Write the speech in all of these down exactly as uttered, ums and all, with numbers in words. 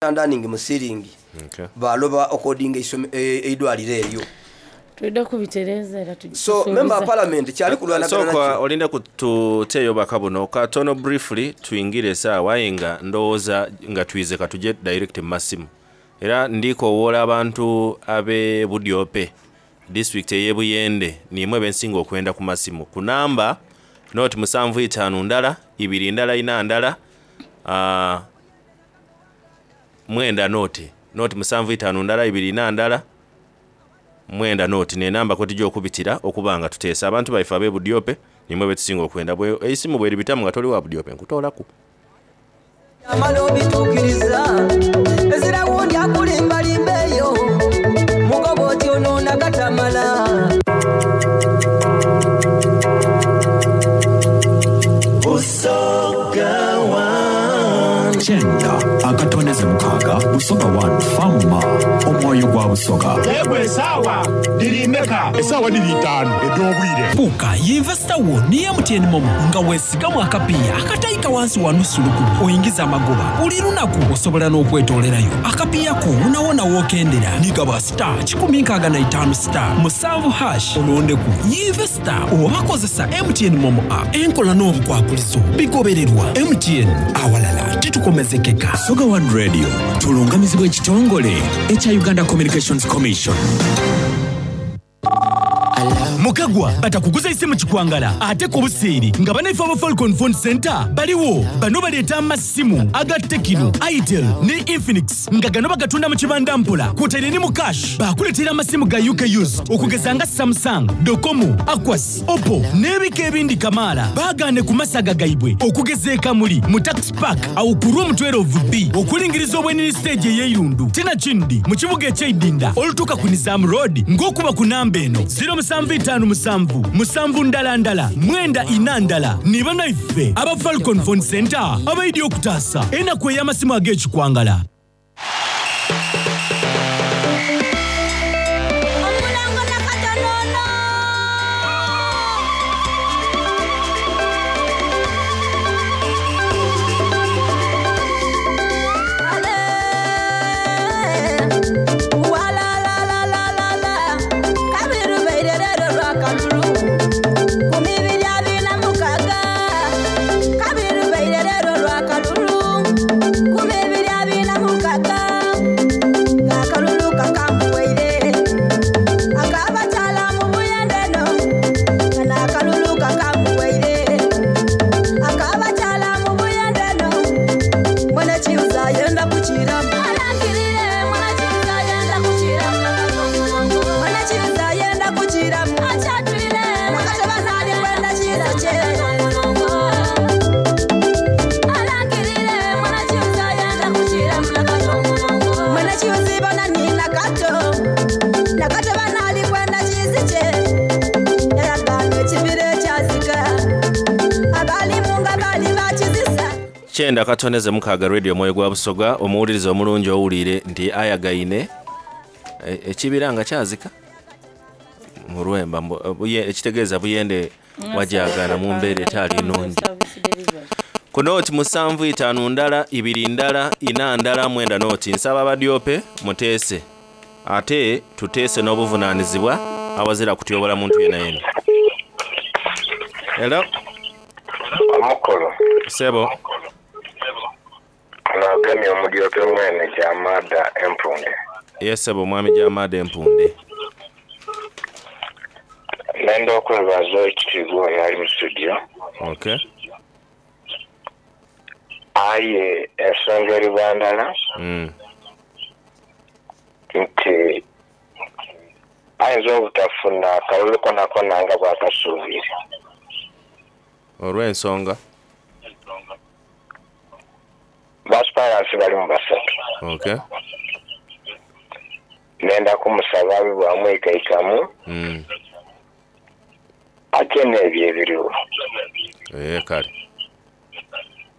Understanding mu ceiling. Okay. Baloba okodinga eidwaliro eryo. Twidde kubitereeza era. So member wa parliament kyali kulwanagana. Sooka olinde kututeeyo baka buno katono briefly, tuyingire esaawa, aye nga ndowooza nga twize katuje direct mu masimu. Era ndikowoola abantu ab'e Budyope, district ey'e Buyende, nimwe bensinga okwenda ku masimu ku namba noti musanvu itaanu ndala ibiri ndala ina ndala uh, mwenda noti noti musanvu itaanu ndala ibiri ina ndala mwenda noti, nenamba kwetujja okubitira okuba nga tuteesa abantu baife ab'e Budyope. Nimwe betusinga okwenda. Bwe eisimu bweribitamu nga toli wa Budyope, nkutoolaku. Amala obituukiriza, ezira wundi akulimbalimba eyo mugoba oti onoona gatamala. Busoga One. Kyenda akatoneze mukaaga, Busoga One Fama, omwoyo gwa Busoga. Yegwe, esaawa dirimeka? Esaawa diri itaano ed'obwire. Fuuka yinvesita wo ne M T N MoMo nga weesigamu akapiiya akatayika wansi wa nusu lukumi, oyingiza amagoba buli lunaku. Osobola n'okwetoolerayo akapiiya ko wonawona wookendera. Nigaba star kikumi nkaaga na itaano star musanvu hash, olondeku yinvesita oba kozesa M T N MoMo app. Enkola n'obukwakulizo bigobererwa. M T N, awalala titukomezekeka. Busoga One Radio tulungamizibwa ekitongole ekya Uganda Communications Commission. Mukagwa batakuguza isimu kikwangala ate ku buseeri nga banaife aba Falcon Phone Center baliwo. Bano baleeta amasimu aga Tecno, Itel ne Infinix nga gano bagatunda mu kibanda mpola kwotaire ne mu cash. Bakuleetera amasimu ga U K used okugeza nga Samsung, Docomo, Aquos, Oppo n'ebika ebindi kamaala. Baagaane ku masaga gaibwe okugeza ekamuli mu Tax Park awo ku room twelve B okulingiriza obwenini stage ey'eirundu, tinakindi mu kibuga ekyeidinda olutuuka ku Nizam Road ng'okuba ku namba eno zero musanvu itaano musanvu musanvu ndala ndala mwenda ina ndala. Ni banaife aba Falcon Phone Center abaidi okutaasa enaku ey'amasimu ag'ekikwangala. Omulango nakatonono. Walalalalala, kabiri baire lero lwakalulu kumi biri abiri na mukaga. Kabiri baire lero lwakalulu kumi biri abiri na mukaga. Ngakalulu kakambuwaire akabakyala mu buyendeno, nga nakalulu kakambuwaire akabakyala mu buyendeno. Mwene kiuza yenda kukiramu, alangirire mwene kiuza yenda kukiramu, mwene kiuza yenda kukiramu, akyatwire nakateba nali kwenda kiza kye. Alangirire mwene kiuza yenda kukiramu, mwene kiuzibona nina kato nakateba nali kwenda kizi kye. Yayagana ekibira ekyazika abalimu nga bali bakizisa. Kyenda katoneze mukaaga, Radio Omwoyo gwa Busoga. Omuwuliriza omulungi, owulire nti ayagaine e- ekibira nga kyazika mu Lwemba, mbu- buye- ekitegeeza Buyende wajagana mu mbeera etaali nnungi. Ku nooti musanvu itaano ndala ibiri ndala ina ndala mwenda nooti, nsaba abadyope muteese, ate tuteese n'obuvunaanizibwa awazira kutyobola muntu yena yena. Hello. Omukulu. Sebo. Nagamye omudyope mwene Gyamada Empunde. Yes sebo, mwami Gyamada Empunde. Nenda okwebaza ekitiibwa oyo ali mu studio. Okay. Aye ensonga eri bandala mm. nti ayinza obutafuna akalulu konakona nga bwakasuubire. Olw'ensonga? Ba aspirants bali mu basatu. Okay. Nenda kumusaba abe bwamwikaikamu mm. ate n'ebyo ebiriwo. Eh, kale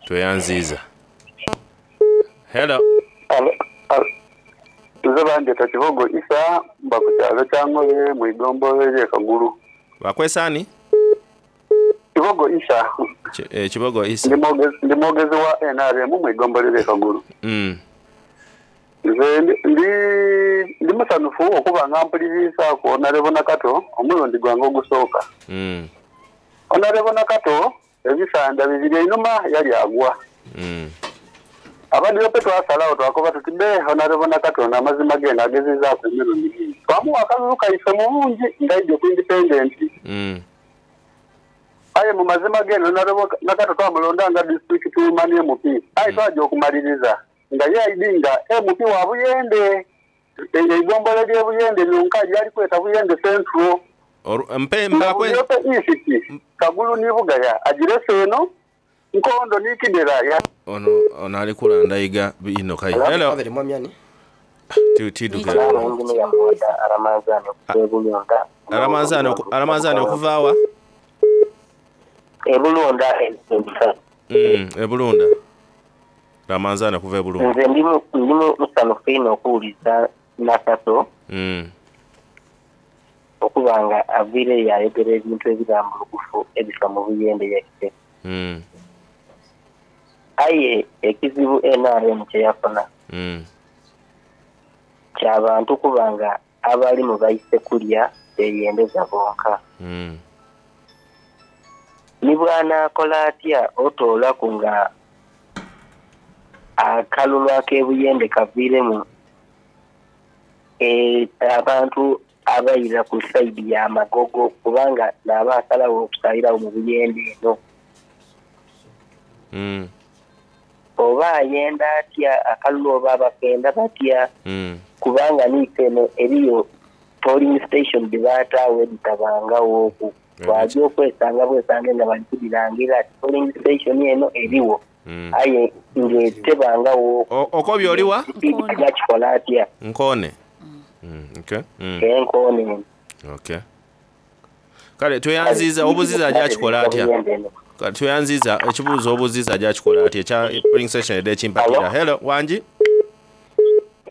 tweyanziiza. Hello. Nze banjeta Kibogo Isa, mba ku kyalo kya Ngobe mu igombolola ery'e Kagulu. Bakwesaani? Kibogo Isa. Ki- eh, kibogo Isa. Ndi mwogezi- ndi mwogezi wa N R M mu igombolola ery'e Kagulu. mm. Nze ndi ndi- ndi musanufu okuba nga mpulirizaako Honorable Nakato omulundi gwange ogusooka. Mm. Honorable Nakato ebisanda bibiri einuma yali agwa. Mm. Abadiope twasalawo twakoba tuti be Honorable Nakato amazima genda agezezaako emirundi mingi. Twamuwa akalulu kaife mu bungi ngaijja ku independent. Mm. Aye mu mazima geno Honorable Nakato twamulonda nga district woman M P. Aye twajja okumaliriza nga ye aidinga M P wa Buyende. Eigombolola ly'e Buyende lyonka lyali kweta Buyende Central. Oru- mpe Nga mpakwe Budiope East, Kagulu ni Bugaya agirese eno Nkondo ni Kidera ya ono ono ali kulandayiga bino kai. Hello. Kabiri mwami ani? Ti- Tiduka. Aramanzani oku- Aramanzani okuva wa? Ebulunda. Mm, Ebulunda. Ramanzani okuva Ebulunda. Nze ndi mu- ndi musanufu ino okuwuliza Nakato Mm. okuba nga aviireyo ayogera ebintu ebirambulukufu ebifa mu Buyende yaife. Mm. Aye ekizibu N R M kye yafuna Mm. ky'abantu kuba nga abalimu baise kulya beyendeza bonka. Mm. Ni bw'anaakola atya otoolaku nga akalulu ak'ebuyende kaviiremu e, abantu abayira ku sayidi ya Magogo kubanga n'aba asalawo okusalirawo mu Buyende eno. Mm. Oba ayenda atya akalulu oba abakenda batya Mm. kubanga niife eno eriyo polling station gye baataawo editabangawo okwo. Twajja okwesanga bwesange nga bali kugirangira ati polling station eno eriwo. Mm. Aye ng'etebangawo Okobye oliwa? Yakikola atya? Nkone. Mm, okay. Mm. Enkoone. Okay. Kale tweyanziza obuziza ajakikola atya? Kale tweyanziza ekibuuzo obuziza ajakikola atya ekya polling station edde ekimpakira. Hello, wangi?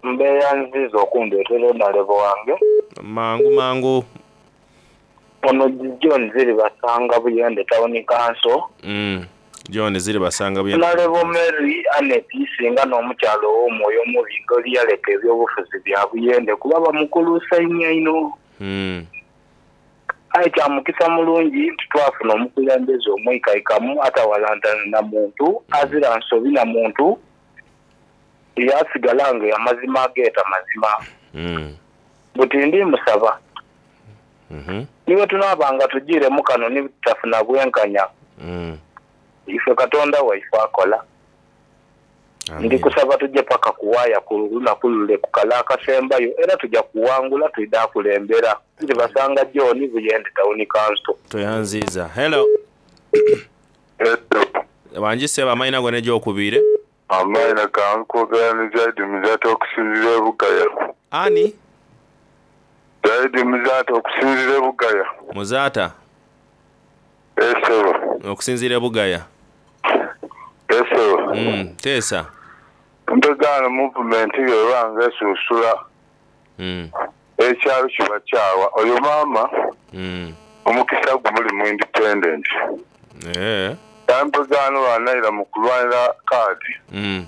Mbeera nziza okundeetera Honorable wange. Mangu mangu. Ono John ziri basanga Buyende Town Council. Mm. John ziri basanga Buyende. Honorable Mary Annet singa n'omukyalo ow'omwoyo omubi ng'oli yaleka ebyobufuzi bya Buyende kuba bamukuluusa nnyo ino. Mm. Aye kya mukisa mulungi nti twafuna omukulembeze omwikaikamu atawalantana na muntu, azira nsobi na muntu, yasigala nga amazima ageeta mazima. Mm. Buti ndi musaba. Mhm. Niwe tunaabanga tugiiremu kano ni tutafuna bwenkanya. Mm. Ife Katonda waife akola. Ndi kusaba tujje paka kuwaaya ku lunaku lule ku kala akasembayo era tujja kuwangula twidde akulembera. Nti basanga John Buyende Town Council. Toyanziza. Hello. Wangi ssebo amayina go n'egyokubiri. Amayina gange kwogera ne Zaidi Muzaata okusinziira e Bugaya. Ani? Zaidi Muzaata okusinziira e Bugaya. Muzaata. Esebo. Okusinziira e Bugaya. Esebo. Mm, teesa. Mpegaano movement yo nga esuusula. Mm. Ekyalo kiba kyawa. Oyo maama Mm. omukisa gumuli mu independent. Eh. Mpegaano banayira mu kulwanira kaadi. Mm.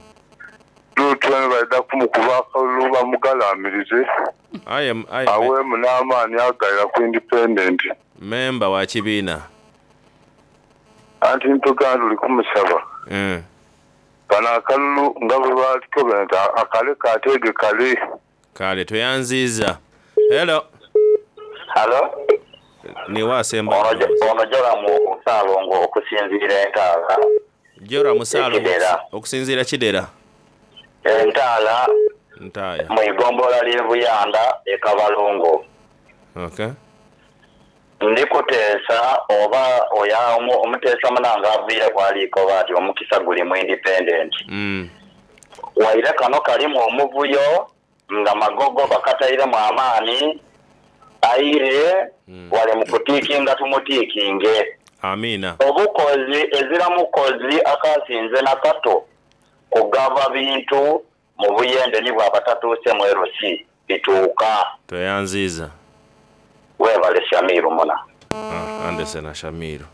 Lutwene balida kumukuba akalulu bamugalamirize. Aye aye Aweemu n'amaanyi agayira ku independent. Memba wa kibiina. Anti mpegaano luli kumusaba. Mm. Bano akalulu nga bwe baalikobera nti akale kateege kale. Kale tweyanziza. Hello. Hello. Ni wasemba. Ono Joramu Ssaalongo okusinziira Entaala. Joramu Ssaalongo Kidera. okusinziira Kidera. Entaala Ntaaya. mu igombolola ly'e Buyanda e Kabalongo. Okay. Ndi kuteesa oba oya omu- omuteesa munange aviire kwaliiko ati omukisa guli mu independent. Mm. Waire kano kalimu omuvuyo nga Magogo bakatairemu amaani aire wale mu kutiikinga tumutiikinge. Amina. Obukozi ezira mukozi akasinze nakato kugaba bintu mu Buyende ni bwaba tatuuse mu L C bituuka. Tweyanziza. Weebale Shamiru muna. Ah, Anderson na Shamiru.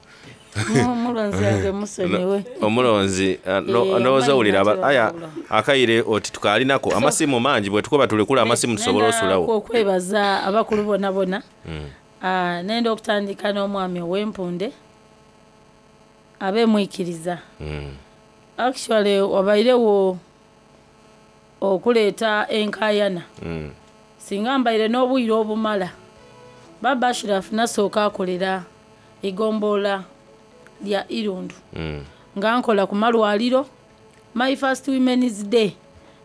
Omulonzi yange musonyiwe. Omulonzi ah, no- Eh, ndowooza owulira aba- amanyi aya akaire oti tukalinako amasimu mangi bwe tukuba tulekula amasimu tusobole Nenda osulawo. okwebaza abakulu bona bona. Mm. Ah, nenda okutandika n'omwami ow'empunde abemwikiriza. Mm. Actually wabairewo okuleeta enkayana. Mm. Singa mbaire n'obwire obumala, baba Ashiraf nasooka akolera igombolola lya Irundu. Mm. Nga nkola ku malwaliro. My first women's day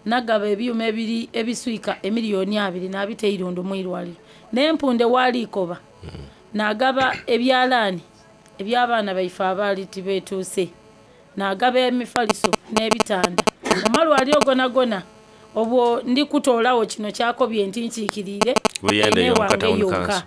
nagaba ebyuma ebiri ebiswika emiliyoni abiri nabita Irundu mu irwaliro, n'empunde waliikoba nagaba ebyalaani eby'abaana baife abaali tibeetuuse, nagaba emifaliso n'ebitanda mu malwaliro gona gona. Obwo ndi kutoolawo kino kyakobye nti nkiikiriire Buyende ene yonka wange town yonka. council.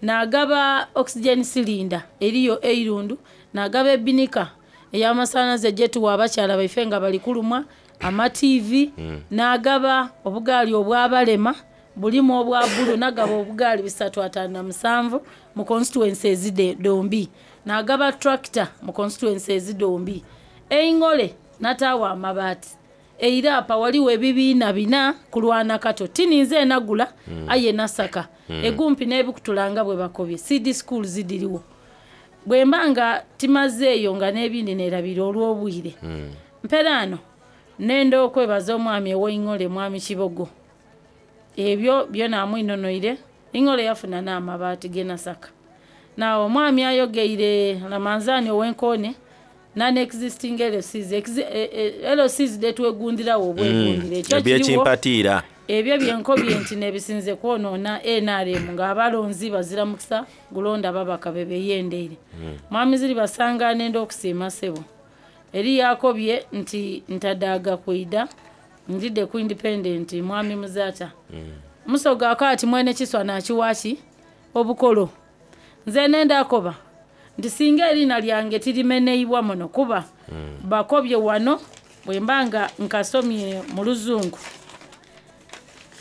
Nagaba oxygen cylinder eriyo Eirundu, nagaba ebinika ey'amasannyalaze gyetuwa abakyala baife nga bali kulumwa, ama T V. Mm. Nagaba obugaali obwabalema bulimu obwa bulu, nagaba obugaali bisatu ataano na musanvu mu constituency ezide dombi, nagaba tractor mu constituency ezidombi. Eingole nataawa amabaati eirapa waliwo ebibiina bina kulwana kato tininze enagula. Mm. Aye nasaka Mm. egumpi n'ebikutulanga bwe bakobye C D school zidiriwo bwe mba nga timazeeyo nga n'ebindi nerabira olw'obwire. Mm. Mperaano nenda okwebaza omwami ow'eingole, mwami Kibogo, ebyo byona amwinonoire. Ingole yafuna n'amabaati genasaka. Nawe omwami ayogeire Lamanzani ow'enkoone non existing L Cs. Exi- eh, eh, L Cs detwegundirawo obwegundire Mm. ekyo kiriwo. Ebyekimpatiira. Ebyo byenkobye nti nebisinze kwonoona N R M ng'abalonzi bazira mukisa gulonda babaka bebeyendeire. Mwami ziri basanga nenda okusiima ssebo eri yakobye nti ntadaaga kwida njidde ku independent. Mwami Muzaata musoga akaati mwene kiswa nakiwaki obukolo, nze nenda akoba nti singa erina lyange tirimeneibwa muno kuba bakobye wano bwe mba nga nkasomye mu luzungu.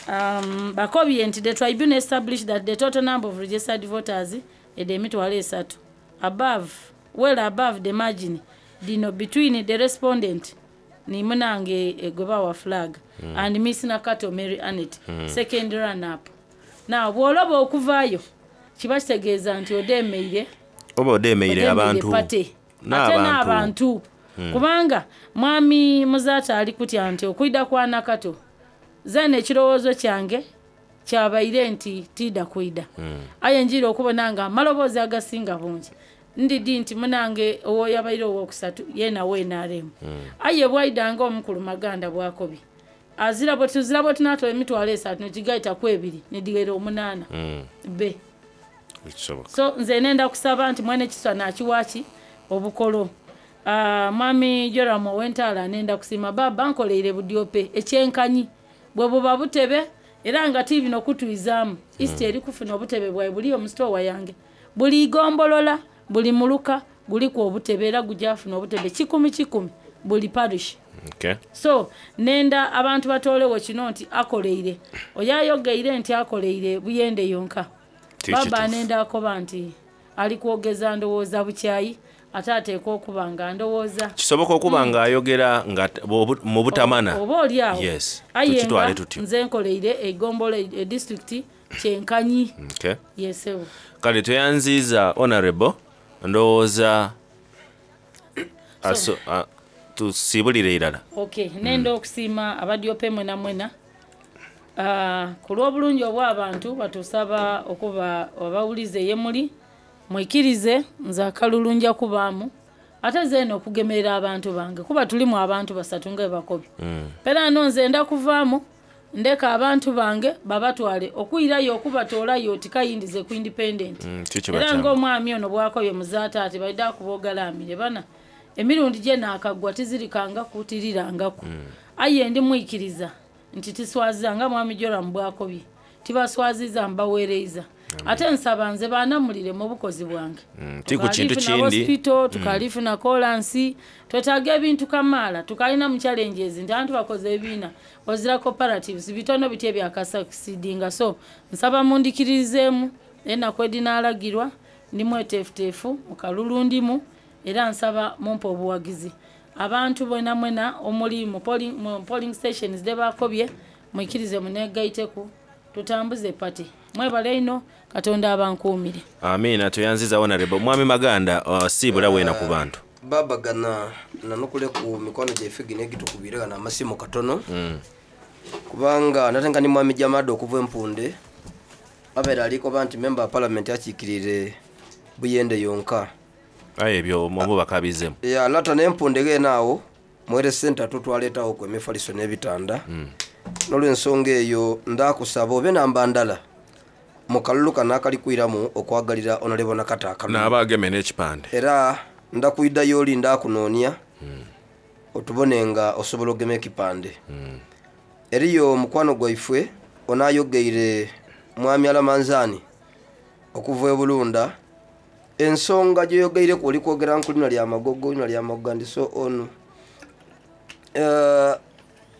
um, bakobye nti the tribunal established that the total number of registered voters ede emitwalo esatu above, well above the margin dino between the respondent ni munange egobawa flag Mm. and Miss Nakato Mary Anet, Mm. second run up. Now bw'oloba okuvaayo kiba kitegeeza nti odeemeire oba odeemeire abantu pate ate n'abantu. n'abantu. Mm. Kubanga mwami Muzaata ali kutya nti okwida kwa Nakato zena ekirowoozo kyange kyabaire nti tiida kwida. Mm. Aye njira okubona nga amaloboozi agasinga bungi ndidi nti munange owoyabaire owokusatu yena we N R M. Aye bwaidanga omukulu Maganda bwakobye azira bwe tuzira bwe tunatola emitwalo esatu nekigaitaku ebiri nedigera omunaana Mm. be. Ekisoboka. So nze nenda kusaba nti mwene kiswa nakiwaki obukolo. Ah, mwami Joram ow'entaala nenda kusiima baba nkoleire budyope ekyenkanyi bwe buba butebe era nga ti bino kutwizaamu East eri kufuna obutebe bwawe buli omusitowa yange, buli igombolola, buli muluka guliku obutebe era gujafuna obutebe kikumi kikumi buli parish. Okay. So nenda abantu batolewo kino nti akoleire oyo ayogeire nti akoleire Buyende yonka. Ti Baba kituufu. nenda akoba nti ali kwogeza ndowooza bukyayi ate ateekwa okuba nga ndowooza Kisoboka okuba ng'ayogera nga t- bw'obu- mu butamana. Oba oli awo. Yes, Aye tukitwale nga tutyo. nze nkoleire egombola edisitulikiti kyenkanyi. Okay. Yesewo. Kale tweyanziiza honorable, ndowooza aso- a- tusiibulire irala. Ok, nenda okusiima abadyope mwena mwena. Ah, ku lw'obulungi obw'abantu batusaba okuba abawulize ye muli mwikirize nze akalulu nja kubaamu ate zeena okugemerera abantu bange kuba tulimu abantu basatu nga bwe bakobye. Pera no nze nda kuvaamu ndeka abantu bange babatwale okwirayo okubatoolayo tikayindize ku independent. Mm, kikiba Era kyangu. ng'omwami ono bwakobye Muzaata ati baida akuboogalaamire bana emirundi gye naakaggwa tizirikangaku tirirangaku. Aye ndi mwikiriza nti tiswaziza nga mwami Joram bwakobye tibaswaziza mbaweereza ate nsaba nze baanamulire mu bukozi bwange. Mm, ti ku kintu Tukalifuna kindi. hospital Mm. tukalifuna kolansi twetaaga ebintu kamaala tukalina mu challenges nti abantu bakoze ebibiina ozira cooperatives bitono biti ebyakasakisidinga. So nsaba mundikiririzeemu enaku edinaalagirwa ndi mweteefuteefu mu kalulu ndimu Era nsaba mumpe obuwagizi. Abantu bwena mwena omuli mu polling, mu polling stations de bakobye mwikirize munegaiteku tutambuze party. Mwebale ino Katonda abankuumire. Amiina toyanziza honorable. Mwami Maganda uh, siibula weena ku bantu. Baba gana nanukule ku mikono gyaife gino egitukubire gano amasimu katono Mm. kubanga natenga ni mwami Jamada okuva empunde abeera alikoba nti member wa parliament akiikirire Buyende yonka. Aye ebyo omubaka abizemu. Ya lata n'empunde geene awo mwere sente tutwaleetawo ku emifaliso n'ebitanda Mm. n'olwensonga eyo ndakusaba obe namba ndala mu kalulu kano akali kwiramu okwagalira Honorable Nakato akalulu N'aba ageme n'ekipande. era ndakwiddayo oli ndakunoonia otubone nga osobola ogema ekipande. Eriyo mukwano gwaife onaayogeire mwami Alamanzaani okuva e Bulunda ensonga gyoyogeireku oli kwogera nku lina lya Magogo lina lya Magogo and so on. Eh,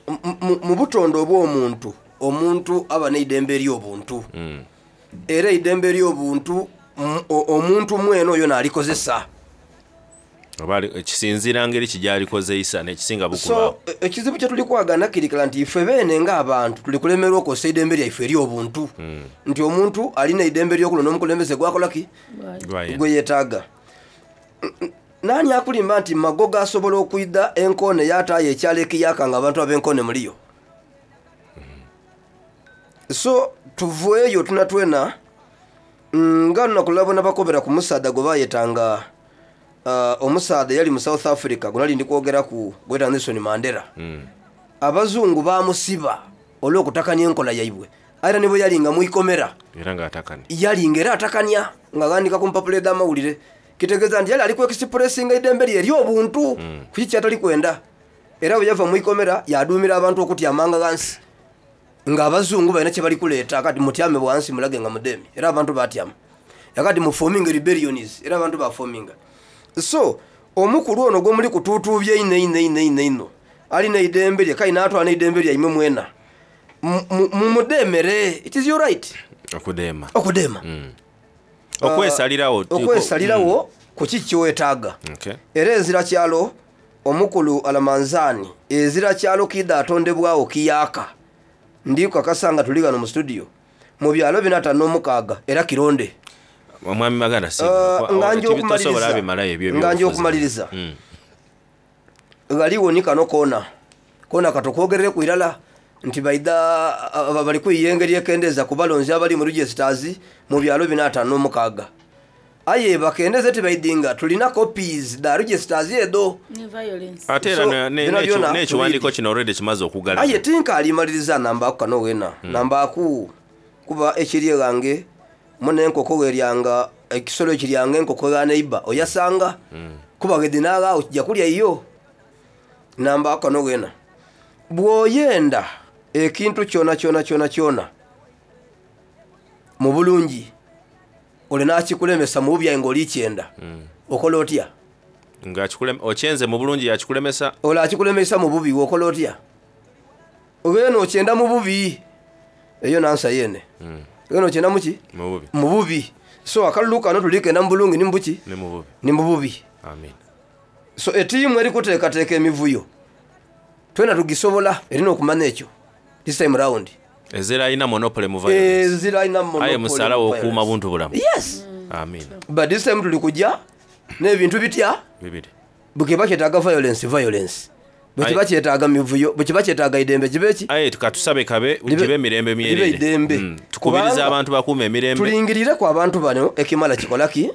mu- mu- mu butonde obw'omuntu omuntu aba n'eidembe ery'obuntu Mm. era eidembe ery'obuntu m- o- omuntu mwene oyo n'alikozesa. Oba ali- ekisinziira ngeri ki gy'alikozeisa n'ekisinga bukuba. So e- ekizibu kye tuli kwagana kirikira nti ife beene ng'abantu tuli kulemerwa okozesa eidembe lyaife ery'obuntu Mm. nti omuntu alina eidembe ery'okulonda omukulembeze gwakola ki Gwayenda. gwe yeetaaga. Nani akulimba nti Magogo asobola okwidha enkoone yataayo ekyalo ekiyaka nga abantu ab'enkoone muliyo? So tuveeyo tuna twena nga lunaku lwabona bakobera ku musaadha gwe bayetanga uh, omusaadha yali mu South Africa gwe nali ndi kwogeraku gweta Nelson Mandela. Mm. Abazungu bamusiba olw'okutakanya enkola yaibwe era ne bwe yalinga mwikomera Era ng'atakanya. yalinga era atakanya ng'aghandika ku mpapula edh'amawulire kitegeeza nti yali ali kwekisipulesinga eidembe lye ery'obuntu kuki kyatali kwenda era bwe yava mwikomera yaduumira abantu okutyamanga ghansi ng'abazungu balina kye bali kuleeta kati mutyame bwansi mulage nga mudemi era abantu batyama yakati mufominga rebellions era abantu bafominga. So omukulu ono gwemuli kutuutuubya ino ino ino ino ino alina eidembe lye kale n'atwala n'eidembe lyaimwe mwena Mu- mu- mumudemere, it is your right Okudeema. okudeema. Mm. Okwesalirawo. Okwesalirawo ku ki kyewetaaga. Okay. Era ezira kyalo omukulu Alamanzaani ezira kyalo kidha atondebwawo kiyaka ndi kukakasa nga tuli gano mu studio mu byalo bina ataano n'omukaaga era kironde. Omwami Maganda Uh, siibula. nga nja Tosobola okumaliriza bimalayo ebyo nga nja ebyobufuzi. okumaliriza Mm. ghaliwo ni kano koona koona katokwogerereku irala nti baidha aba- bali kwiya engeri ekendeeza ku balonzi abali mu registers mu byalo bina ataano n'omukaaga aye bakendeze tibaidinga tulina copies da registers edo. Ni violence. Ate era So, ne- ne- byona n'ekyo- byona n'ekiwandiiko kino already kimaze okugala. Aye tinkaalimaliriza nambaku kano wena nambaku kuba ekiri ghange muna enkoko weryanga ekisolo ekiryanga enkoko gha neiba oyasanga kuba gedinaaghaawo kijja kulya iyo. Nambaku kano wena bw'oyenda ekintu kyona kyona kyona kyona mu bulungi ole nakikulemesa mu bubi aye ng'oli kyenda okola otya? Nga akikulem- okyenze mu bulungi yakikulemesa. Ole akikulemesa mu bubi wokola otya? Ogenda okyenda mu bubi eyo nansa yene Mm. ogenda okyenda muki? Mu bubi. Mu bubi. So akalulu kano tulikenda mu bulungi ni mu buki? Ne mu bubi. Ni mu bubi. Amiina. So etiimu erikuteekateeka emivuyo twena tugisobola erina okumanya ekyo this time round. Ezira alina monopoly mu violence. Ezira alina monopoly Aye musalawo mu okuuma violence. buntu bulamu. Yes. Amiina. But this time tuli kujja n'ebintu bitya Bibiri. bwekiba kyetaaga violence violence bwekiba kyetaaga mivuyo bwekiba kyetaaga idembe kibe ki? Aye katusabe kabe gibe emirembe libe myerere. idembe. Mm. Tukubiriza Kubanga abantu bakuume emirembe. tulingirireku abantu bano ekimala kikola ki?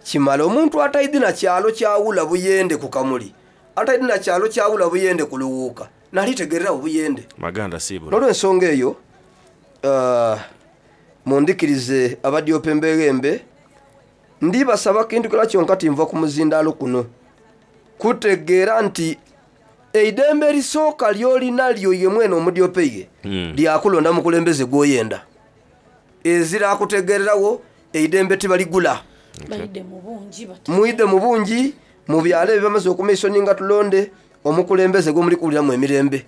Kimala. Omuntu ataidi na kyalo kyawula Buyende ku Kamuli ataidi na kyalo kyawula Buyende ku Luwuuka nalitegererawo Buyende. Maganda siibula. N'olwensonga eyo uh, mundikirize abadyopa embeghembe ndibasaba kintu kila kyonka tinva ku muzindaalo kuno kutegeera nti eidembe erisooka lyolina lyo ye mwene omudyopa ye Mm. lyakulonda mukulembeze gwoyenda ezira akutegererawo eidembe tibaligula. Baidde mu bungi bati. Mwidde mu bungi mu byalo ebyo bamaze okumiisoninga tulonde omukulembeze gwemuli kuwuliramu emirembe.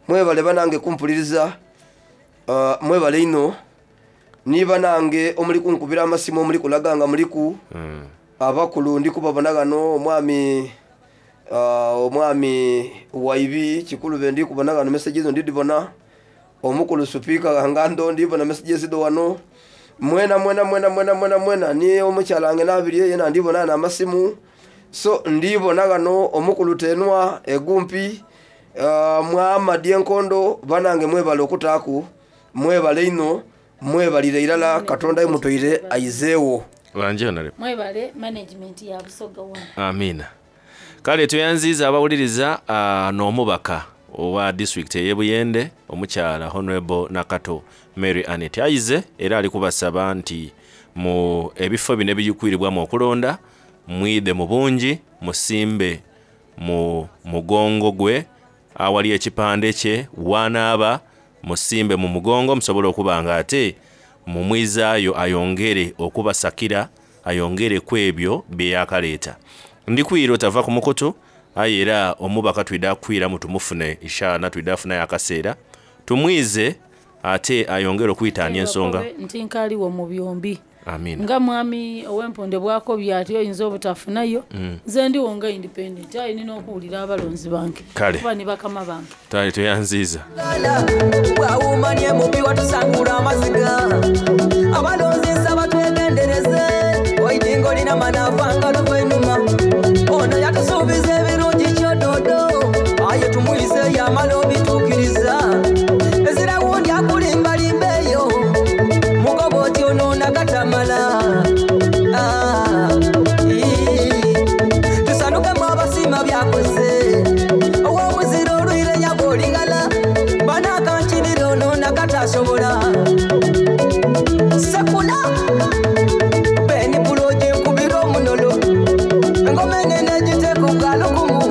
Mwebale banange kumpuliriza uh, mwebale ino ni banange omuli kunkubira amasimu omuli kulaga nga muliku Mm. Abakulu ndi kubabona ghano omwami uh, omwami Waibi Kikulube ndi kubona ghano messages ndidibona. Omukulu Supika Ngando ndibona messages do wano. Mwena mwena mwena mwena mwena mwena ni omukyala wange nabirye yena ndibona na amasimu. So ndibona ghano omukulu Tenwa Egumpi, uh, Muhammad Enkondo banange mwebale okutaaku, mwebale ino, mwebalire irala Katonda imutoire aizeewo. Wanje honorable. Mwebale management ya Busoga One. Amina. Kale tuyanziza abawuliriza uh, n'omubaka owa district ey'Ebuyende omukyala Honorable Nakato Mary Annet aize era ali kubasaba nti mu ebifo bino ebiyikwiribwamu okulonda mwidhe mu bungi musimbe mu mugongo gwe awali ekipande kye wanaaba musimbe mu mugongo musobole okuba nga ate mumwizaayo ayongere okubasakira ayongere ku ebyo bye yakaleeta. Ndikwira otava ku mukutu aye era omubaka twida kwiramu tumufune ishaana twida afunayo akaseera tumwize ate ayongere okwitaanya ensonga nti nkaaliwo mu byombi. Amina. Nga mwami ow'emponde bwakobye ati oyinza obutafunayo, Mm. nze ndiwo nga independent aye nina okuwulira abalonzi bange Kale. kuba ni bakama bange. Tali tuyanziiza. Bwawumanye mubi watusangula amaziga abalonzi nsaba twegendereze oidingo lina manafanga luva einuma ono yatusuubiza ebirungi kyododo aye tumuyise yamala obituukiriza ezira wundi akulimbalimba eyo mugoba oti ono nakatamala. Ah, ii. Tusanukemu abasiima byakoze ow'omuzira olwire yaba oligala banakankirira ono nakatasobola sekula beni pulogi nkubira omunolo engoma enene egiteeka ogwalukumu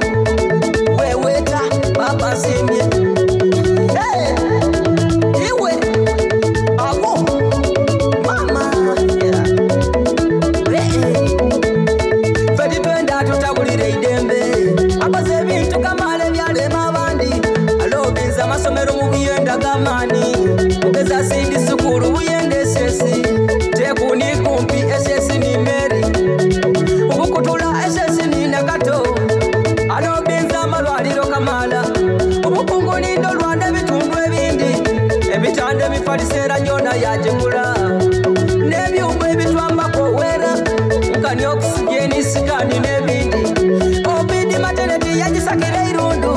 weweeta papa nsiimye. Hey! Iwe awo mama ffe titwenda tutabulira eidembe akoze ebintu kamaala ebyalema abandi alobinza amasomero mu Buyenda g'amaani mugeza sindi sukulu Buyenda esesi tekuni kumpi esesi ni Meri obukutula esesi ni Nakato alobinza amalwaliro kamaala obukungu nindo lwanda ebitundu ebindi ebitanda ebifaliseera gyona yagigula n'ebyuma ebitwambako owera nkani okisigeni sikani n'ebindi obidi mateneti yagisakira eirundu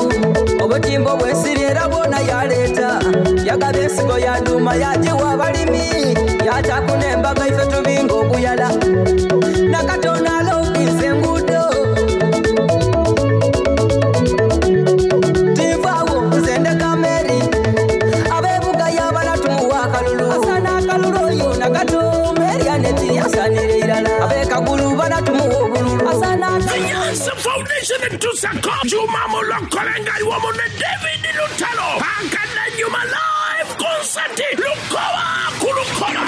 obutimbo bwensiri era bwona yaleeta yagaba ensigo yaduuma yagiwa abalimi yataku n'embaga ife tubinga okuyala Nakatonda alobinza enguudo tinvaawo nze ndeka Meri abeebuga yabala tumuwa akalulu asana akalulu oyo Nakato Meri Aneti asanira irala ab'ekagulu bana tumuwa obululu asana The Yansi Foundation etusako Juma Mulokolenga iwomu ne David Lutalo Akadanyuma live concert Lukoba ku Lukoba.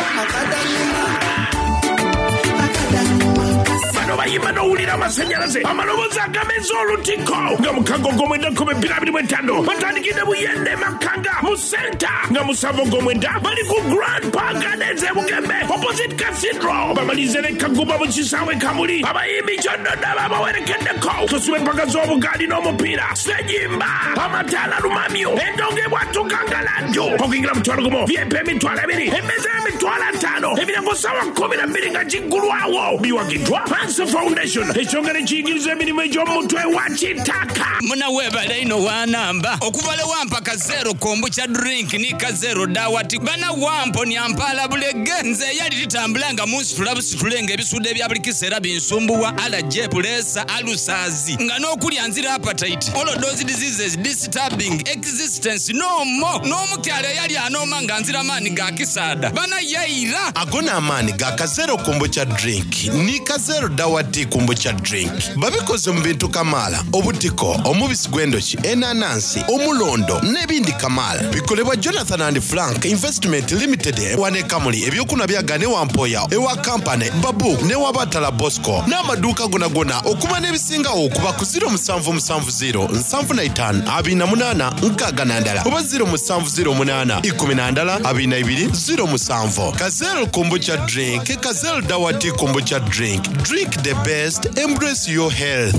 Bano bayimba n'owulira amasannyalaze amaloboozi agameza olutiko nga mukago gw'omwenda kumi bbiri abiri mu etaano batandikidde Buyende Makanga mu senta nga musanvu gw'omwenda bali ku Grand Park Gardens e Bugembe opposite Cathedral bamalirize ne Kagumba mu kisaawe Kamuli abayimbi kyonna babawerekeddeko tusiba empaka z'obugaali n'omupiira sejimba amataala lumamyo endongo ebwatuka ngaladdu okuyingira mutwalo gumu V I P emitwalo ebiri emmeeza y'emitwalo ataano emiryango ssaawa kkumi na bbiri nga giggulwawo biwagiddwa Hansi Foundation ekyongera ekiyigiriza emirimu egy'omutwe wa kitaka. Muna webale ino wanamba okuva le wampa kazero kombucha drink ni kazero dawati bana wampo nyampala bulege nze yali litambula nga munsitula busitule nga ebisudde ebya buli kiseera binsumbuwa allergy pulesa alusazi nga n'okulya nzira appetite all those diseases disturbing existence no more n'omukyala eyali anooma nga nzira maanyi ga kisaada bana yayira. Ago n'amaanyi ga kazero kombucha drink ni kazero dawati kombucha. kombucha drink. Babikoze mu bintu kamaala, obutiko, omubisi gw'endoki, enanansi, omulondo n'ebindi kamaala. Bikolebwa Jonathan and Frank Investment Limited wane Kamuli, ebyokunwa byagane Wampoya, ewa Kampane, Babu ne Wabatala Bosco n'amaduuka gonagona. Okuba n'ebisingawo okuba ku ziro musanvu musanvu ziro nsanvu na itaano abiri na munaana nkaaga na ndala oba ziro musanvu ziro munaana ikumi na ndala abiri na ibiri ziro musanvu. Kazel Kombucha drink, Kazel Dawati Kombucha drink. Drink the best, embrace your health.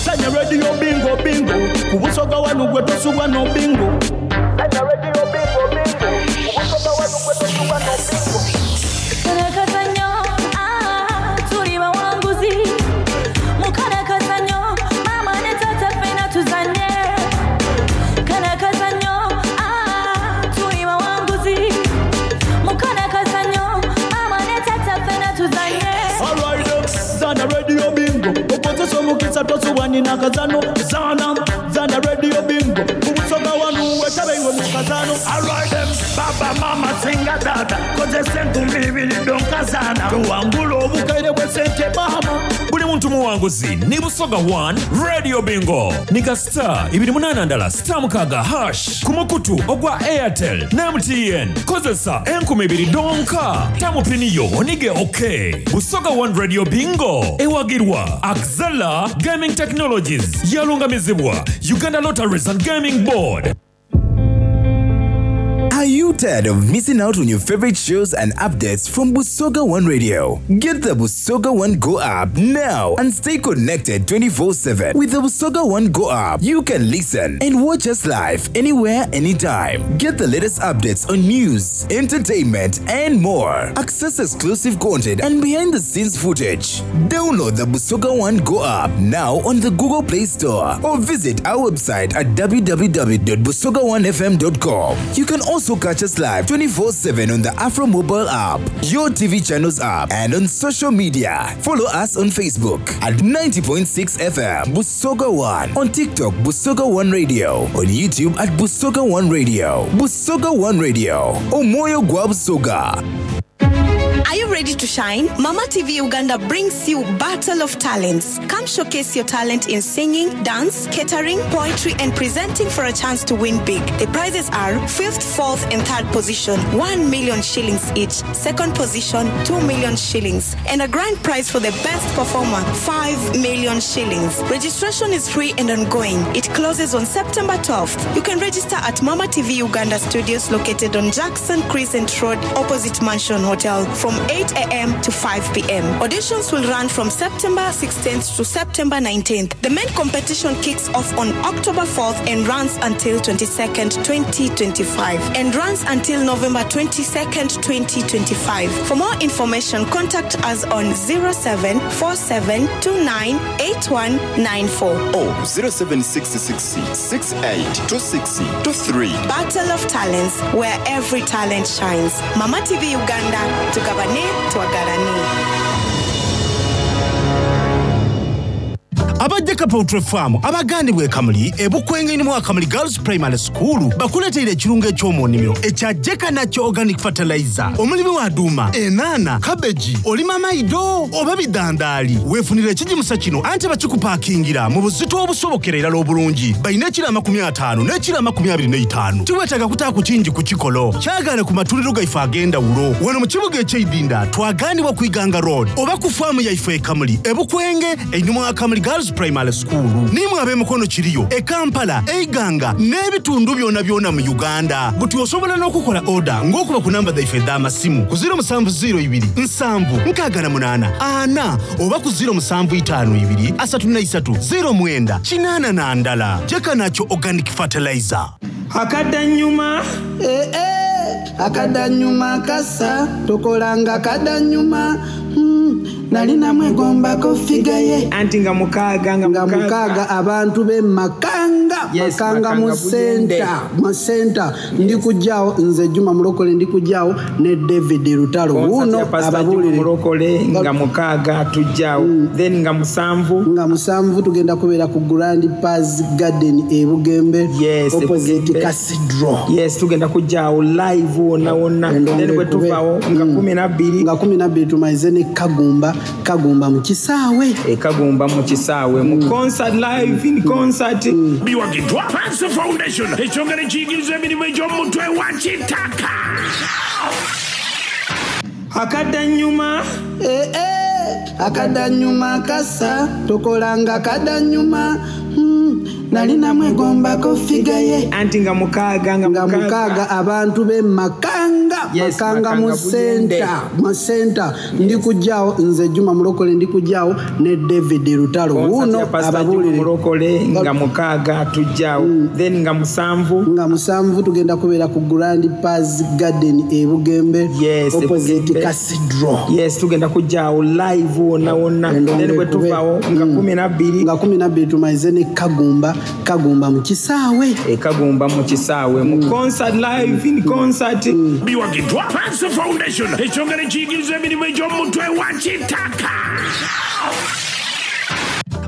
Sanya radio bingo bingo, kubusoga wanu gwe tosubwa no bingo. Sanya radio bingo bingo, kubusoga wanu gwe tosubwa no bingo. Karakazanyo, ah, tuli bawanguzi. Mukarakazanyo, mama ne tata fena tuzanye. Karakazanyo, ah, tuli bawanguzi. Mukarakazanyo, mama ne tata fena tuzanye. All right, zana radio bingo. Okozesa omukisa tosubwa nina kazano. Zana, zana radio bingo. Kubusoga wanu wetabe iwe mu kazano. All right, them, baba mama singa dada. Kozesa enkumbi ibiri donkazana. Tuwangula obukaire bwe sente bahama. Buli muntu muwanguzi ni Busoga one Radio Bingo. Nika star ibiri munana ndala star mukaga hash ku mukutu ogwa Airtel na M T N. Kozesa enkumi ibiri donka. Tamupiniyo onige okay. Busoga one Radio Bingo ewagirwa Axela Gaming Technologies yalungamizibwa Uganda Lotteries and Gaming Board. Are you tired of missing out on your favorite shows and updates from Busoga One Radio? Get the Busoga One Go app now and stay connected twenty-four seven. With the Busoga One Go app, you can listen and watch us live anywhere, anytime. Get the latest updates on news, entertainment, and more. Access exclusive content and behind-the-scenes footage. Download the Busoga One Go app now on the Google Play Store or visit our website at w w w dot busoga one f m dot com. You can also catch us live twenty-four seven on the Afro mobile app, your T V channels app, and on social media. Follow us on Facebook at ninety point six F M Busoga One, on TikTok Busoga One Radio, on YouTube at Busoga One Radio. Busoga One Radio, Omoyo Gwa Busoga. Are you ready to shine? Mama T V Uganda brings you Battle of Talents. Come showcase your talent in singing, dance, catering, poetry, and presenting for a chance to win big. The prizes are fifth, fourth, and third position, one million shillings each. Second position, two million shillings. And a grand prize for the best performer, five million shillings. Registration is free and ongoing. It closes on September twelfth. You can register at Mama T V Uganda Studios located on Jackson Crescent Road, opposite Mansion Hotel, from eight A M to five P M. Auditions will run from September sixteenth to September nineteenth. The main competition kicks off on October fourth and runs until twenty-second, twenty twenty-five. And runs until November twenty-second, twenty twenty-five. For more information, contact us on zero seven four seven two nine eight one nine four or zero seven six six six eight two six two three. Battle of Talents, where every talent shines. Mama T V Uganda, tugabane, twagalane. Abajjaka Poultry Farm abagandibwa e Kamuli ebukwenge mu Kamuli Girls Primary School bakuleteera ekirungo eky'omu nnimiro ekya Jeka Natural Organic Fertilizer. Omulimi wa duuma, enaana, kabeji, olima maido oba bidandaali, weefunira ekigimusa kino anti bakikupaakingira mu buzito obusobokera irala obulungi. Balina ekiro amakumi ataano n'ekiro amakumi abiri n'etaano. Tiweetaaga kutaako kingi ku kikolo. Kyagaane ku matuliro gaife ag'endawulo. Wano mu kibuga eky'Eidinda twagaanibwa ku Iganga Road oba ku faamu yaife e Kamuli ebukwenge einhuma wa Kamuli Girls Primary School. Nimwe ab'emikono kiriyo e Kampala, Eiganga n'ebitundu byonna byonna mu Uganda. Buti osobola n'okukola order ng'okuba ku namba zaife ez'amasimu ku ziro musanvu ziro ibiri nsanvu nkaaga na munaana ana oba ku ziro musanvu itaano ibiri asatu na isatu ziro mwenda kinaana na ndala. Jeka Natural Organic Fertilizer. Akadanyuma eh, eh, akadanyuma kasa tukolanga kadanyuma mm, nali namwegombako figa ye anti nga mukaaga nga mukaaga abantu be Makanga. Yes, Makanga mu center mu center yes. Ndikujjaawo nze Juma Mulokole ndikujjaawo ne David Lutalo wuno ababuulire Mulokole nga mukaaga tujjaawo mm. Then nga musanvu nga musanvu tugenda kubeera ku Grand Paz Garden e Bugembe. Yes, opposite Cathedral. Yes, tugenda kujjaawo live wonna wonna. Then bwe tuvaawo nga kumi na bbiri nga kumi na bbiri tumalize ne Kagumba Kagumba mu kisaawe. E Kagumba mu kisaawe mu concert live in concert. Biwagiddwa Panso Foundation, ekyongera ekiyigiriza emirimu egy'omutwe wa kitaka. Akadanyuma. Eh, eh, akadanyuma kasa tokolanga kadanyuma. Hmm, nali namwegombako figa ye. Anti nga mukaaga nga mukaaga abantu be Makanga. Yes, Makanga mu Makanga Buyende. senta mu senta ndi kujjaawo nze Juma Mulokole, ndi kujjaawo ne David Lutalo. Concert Wuuno ya Pastor Juma ababuulire. Mulokole nga mukaaga tujjaawo, then nga musanvu nga musanvu tugenda kubeera ku Grand Paz Garden e Bugembe, Yes, opposite Bugembe. Cathedral. Yes, tugenda kujjaawo live wonna wonna, then bwe tuvaawo nga kumi na bbiri nga kumi na bbiri tumalize ne Kagumba Kagumba mu kisaawe. E Kagumba mu kisaawe mu concert live in concert. Biwagiddwa Panso Foundation, ekyongera ekiyigiriza emirimu egy'omutwe wa kitaka.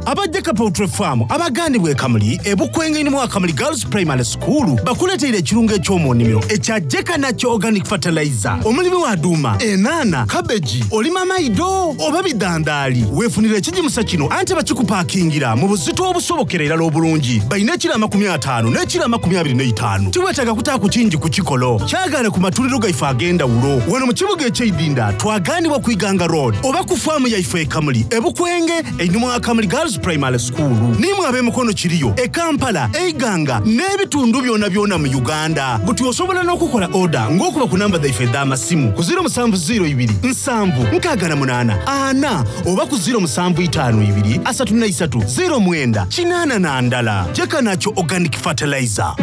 Abajjaka Poultry Farm abagandibwa ekamuli ebukwengeni mu Akamuli Girls Primary School bakuleteire ekirungo eky'omu nnimiro ekya Jeka Nakyo Organic Fertilizer. Omulimi wa duuma, enaana, kabeji, olima mayido oba bidandaali, weefunira ekigimusa kino anti bakikupaakingira mu buzito obusobokera irala obulungi. Balina ekiro amakumi ataano n'ekiro amakumi abiri n'etaano. Tiweetaaga kutaako kingi ku kikolo kyagaana ku matuliro gaife ag'endawulo wano mu kibuga ekyeidinda twagaanibwa ku Iganga Road oba ku faamu yaife ekamuli ebukwenge einuma wa Kamuli Girls Primary School. Nimwe ab'emikono kiriyo e Kampala, eiganga n'ebitundu byonna byonna mu Uganda. Buti osobola n'okukola oda ng'okuba ku namba zaife ez'amasimu ku ziro musanvu ziro ibiri nsanvu nkaaga na munaana ana oba ku ziro musanvu itaano ibiri asatu na isatu ziro mwenda kinaana na ndala. Jeka Nakyo Organic Fertilizer.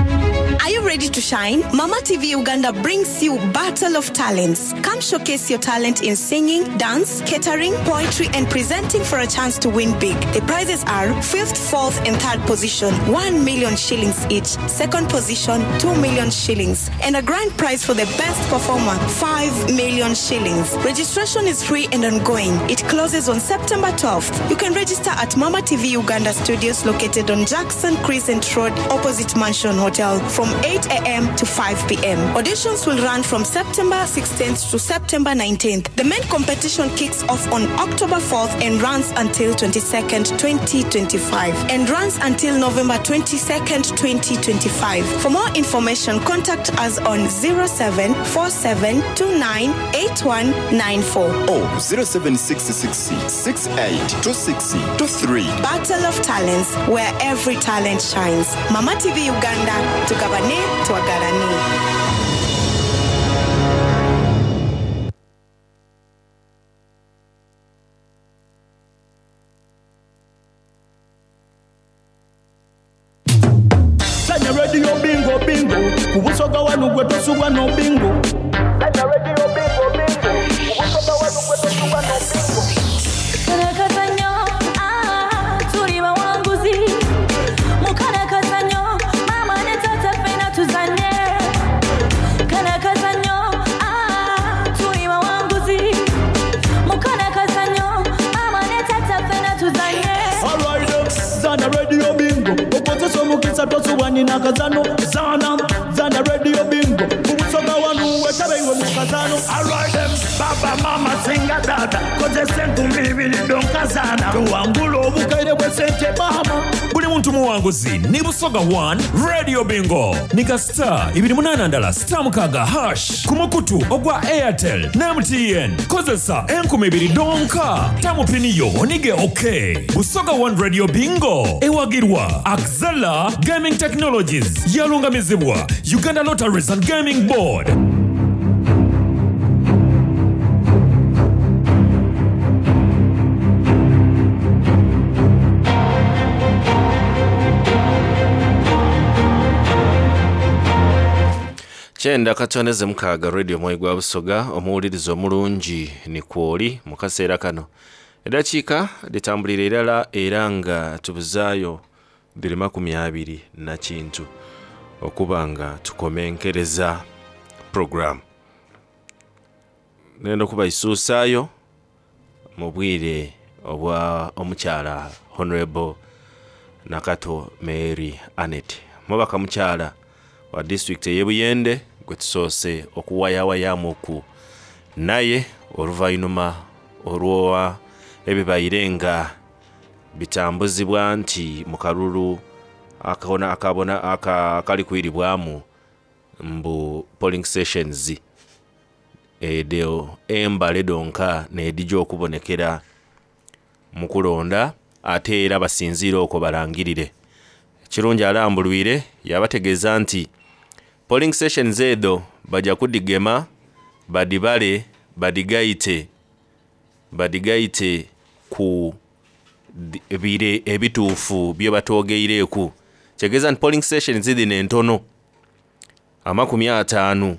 Are you ready to shine? Mama T V Uganda brings you Battle of Talents. Come showcase your talent in singing, dance, catering, poetry, and presenting for a chance to win big. The prizes are fifth, fourth, and third position, one million shillings each. Second position, two million shillings. And a grand prize for the best performer, five million shillings. Registration is free and ongoing. It closes on September twelfth. You can register at Mama T V Uganda Studios located on Jackson Crescent Road, opposite Mansion Hotel, from eight a m to five p m. Auditions will run from September sixteenth to September nineteenth. The main competition kicks off on October fourth and runs until twenty-second, twenty twenty-five, and runs until November twenty-second, twenty twenty-five. For more information, contact us on zero seven four seven two nine eight one nine four. Or zero seven six six six eight two six two three. Battle of Talents, where every talent shines. Mama T V Uganda, tugabane, twagalane. Sanya Radio bingo bingo ku Busoga wanu gwe tosubwa no bingo. Sanya Radio bingo bingo ku Busoga wanu gwe tosubwa no bingo. Karakazanyo, ah, tuli bawanguzi. Mukarakazanyo, mama ne tata ffenna tuzanye. Karakazanyo, ah, tuli bawanguzi. Mukarakazanyo, mama ne tata ffenna tuzanye. Alright, zana Radio bingo okozesa omukisa tosubwa nina kazano zana zana Radio bingo ku Busoga wanu wetabe iwe mu kazano. Alright, baba mama singa dada kozesa enkumi ibiri donkazana tuwangula obukaire bw'esente mama. Buli muntu muwanguzi ni Busoga one Radio Bingo nika star ibiri munana ndala star mukaga hash ku mukutu ogwa Airtel ne M T N. Kozesa enkumi ibiri donka tamupiniyo onige ok. Busoga one Radio Bingo ewagirwa Axela Gaming Technologies, yalungamizibwa Uganda Lotteries and Gaming Board. Kyenda katoneze mukaaga, Radio Mwoyo gwa Busoga. Omuwuliriza omulungi ni kwoli mu kaseera kano eddakiika litambulira irala era nga tubuzaayo biri makumi abiri na kintu okuba nga tukomenkereza program. Nenda okubaisuusaayo mu bwire obwa omukyala Honorable Nakato Mary Anet, mubaka mukyala wa disitulikiti ey'e Buyende, gwe tusoose okuwayawayamuku naye oluvannyuma olwa Ebibaire nga bitambuzibwa nti mu kalulu akabona akabona akali kwiribwamu mbu polling stations edho embale donka nedija okubonekera mu kulonda, ate era basinziire okwo balangirire. Kirungi alambulwire yabategeeza nti polling stations edho bajja kudigema badibale badigaite badigaite ku bire ebituufu bye batwogeireku. Kitegeeza nti polling stations dhino entono amakumi ataanu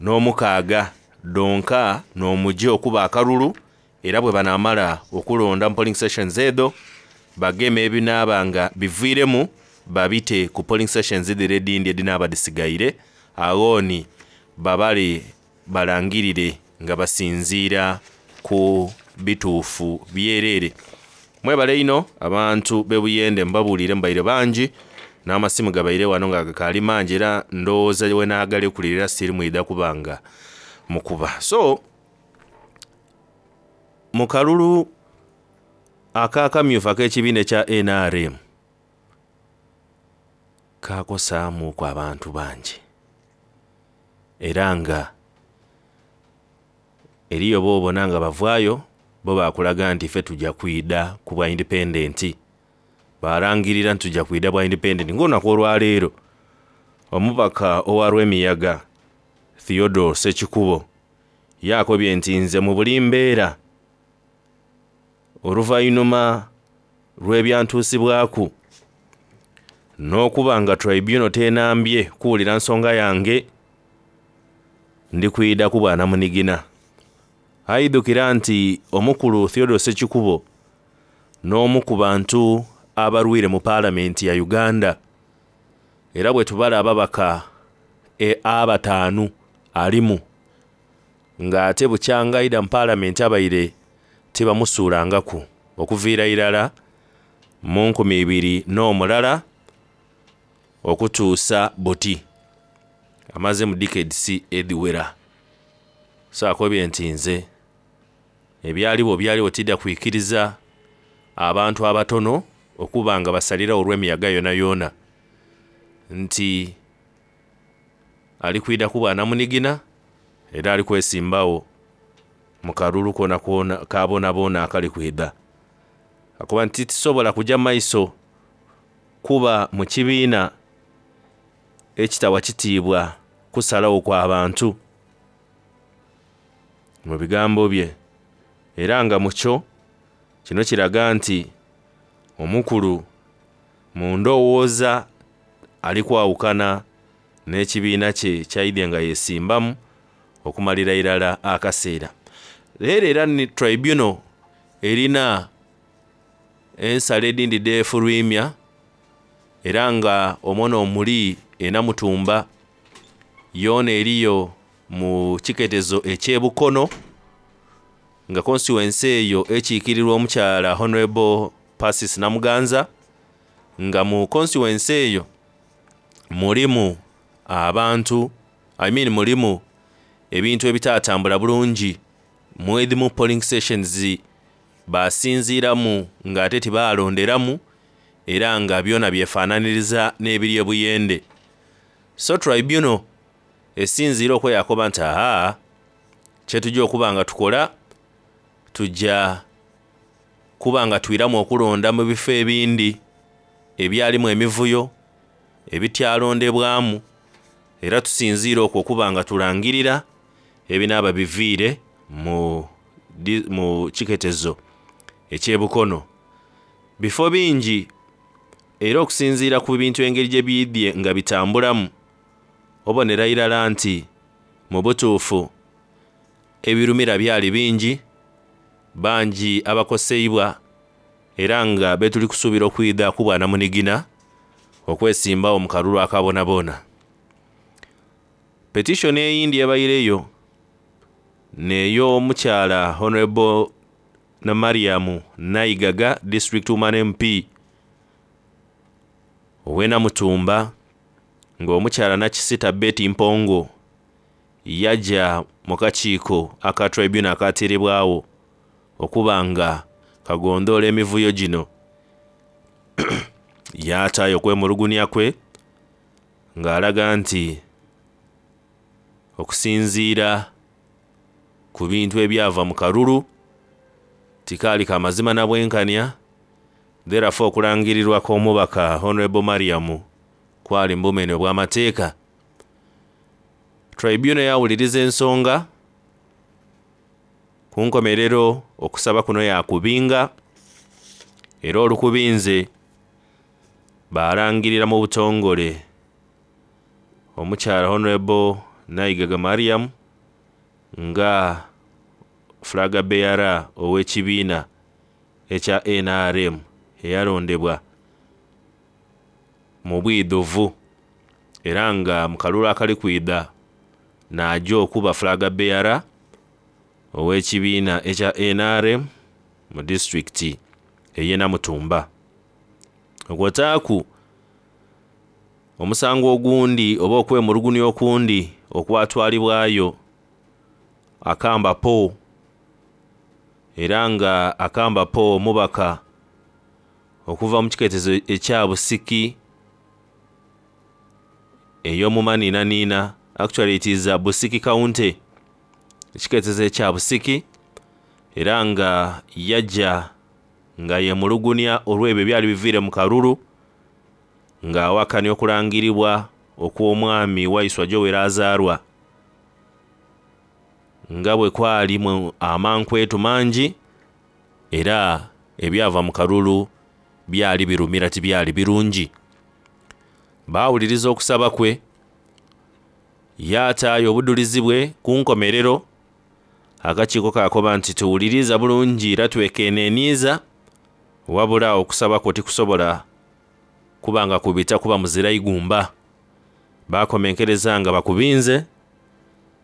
n'omukaaga donka n'omujje okuba akalulu, era bwe banaamala okulonda mu polling stations edho bageme ebinaaba nga biviiremu babite ku polling stations dhire edindi edinaaba dhisigaire, aghoni babale balangirire nga basinziira ku bituufu byerere. Mwebale ino abantu b'ebuyende mbabuulire mbaire bangi n'amasimu gabaire wano nga gakaali mangi, era ndowooza wenaagalekulira siri mwidha kubanga mukuba. So mu kalulu akakamyufu ak'ekibiina ekya N R M kakosaamuku abantu bangi, era nga eriyo boobona nga bavaayo bo bakulaga nti ffe tujja kwida ku bwa independent, balangirira nti tujja kwida bwa independent. Ng'olunaku olwaleero omubaka owa Lwemiyaga Theodore Ssekikubo yakobye nti nze mu buli mbeera oluvannyuma lw'ebyantuusibwaku n'okuba nga tribunal tenambye kuwulira nsonga yange ndi kwida ku bwanamunigina. Aidukira nti omukulu Theodore Ssekikubo n'omu ku bantu abalwire mu paalamenti ya Uganda, era bwe tubala ababaka e abataanu alimu ng'ate bukyangaida mu paalamenti abaire tibamusuulangaku okuviira irala mu nkumi ibiri n'omulala okutuusa buti amaze mu decades edhiwera. So akobye nti nze ebyaliwo byaliwo tidda kwikiriza abantu abatono okuba nga basalirawo olw'emiyaga yona yona, nti ali kwida ku bwanamunigina era ali kwesimbawo mu kalulu kona kona kabonabona akali kwida. Akuba nti tisobola kujja maiso kuba mu kibiina ekitawa kitiibwa kusalawo kw'abantu mu bigambo bye, era nga mukyo kino kiraga nti omukulu mu ndowooza ali kwawukana n'ekibiina kye kyaidye nga yesimbamu okumalira irala akaseera. Leero era ni tribunal erina ensala edindi defulwimya, era nga omwono omuli enamutumba yoona eriyo mu kiketezo ekyebukono nga constituency eyo ekiikirirwa omukyala Honorable Persis Namuganza, nga mu constituency eyo mulimu abantu I mean mulimu ebintu ebitatambula bulungi mwedimu polling stations basinziiramu ng'ate tibaalonderamu, era nga byona byefaananiriza n'ebiri ebuyende. So tribunal esinziira okweyakoba nti aha kyetujja okuba nga tukola tujja kuba nga twiramu okulonda mu bifo ebindi ebyalimu emivuyo ebityalondebwamu, era tusinziire okwo okuba nga tulangirira ebinaaba biviire mu, mu kiketezo ekyebukono. Bifo bingi era okusinziira ku bintu engeri gye bidye nga bitambulamu obonera irala nti mu butuufu ebirumira byali bingi, bangi abakoseibwa, era nga betuli kusuubira okwida ku bwanamunigina okwesimbawo mu kalulu akabonabona. Petition eyindi ebaireyo neyo omukyala Honorable na Mariam Naigaga District Woman M P owenamutumba, ng'omukyala Nakisita Betty Mpongo yajja mu kakiiko aka tribunal akateerebwawo Okuba nga kagondoola emivuyo gino yaataayo okwemulugunya kwe ng'alaga nti okusinziira ku bintu ebyava mu kalulu tikaali ka mazima na bwenkanya, therefore okulangirirwa kw'omubaka Honorable Mariam kwali mu bumenyi obw'amateeka. Tribunal yawuliriza ensonga ku nkomerero, okusaba kuno yakubinga, era olukubinze balangirira mu butongole omukyala Honorable Naigaga Mariam nga flag bearer ow'ekibiina ekya N R M eyalondebwa mu bwidhuvu, era nga mu kalulu akali kwidha n'ajja okuba flag bearer ow'ekibiina ekya N R M mu disitulikiti ey'e Namutumba. Okwotaaku omusango ogundi oba okwemulugunya okundi okwatwalibwayo Akamba Po, era nga Akamba Po omubaka okuva mu kiketezo ekya Busiki ey'omumaninanina, actually it is a Busiki County, ekiketezo ekya Busiki, era nga yajja nga yemulugunya olw'ebyo ebyali biviire mu kalulu, ng'awakanya okulangiribwa okw'omwami Waiswa Joel Azaarwa nga bwe kwalimu amankwetu mangi, era ebyava mu kalulu byali birumira tibyali birungi. Baawuliriza okusaba kwe, yaataayo obudulizi bwe ku nkomerero. Akakiiko kakoba nti tuwuliriza bulungi era twekeneniiza, wabula okusaba kwo tikusobola kubanga kubita kuba muzira igumba. Bakomenkereza nga bakubinze,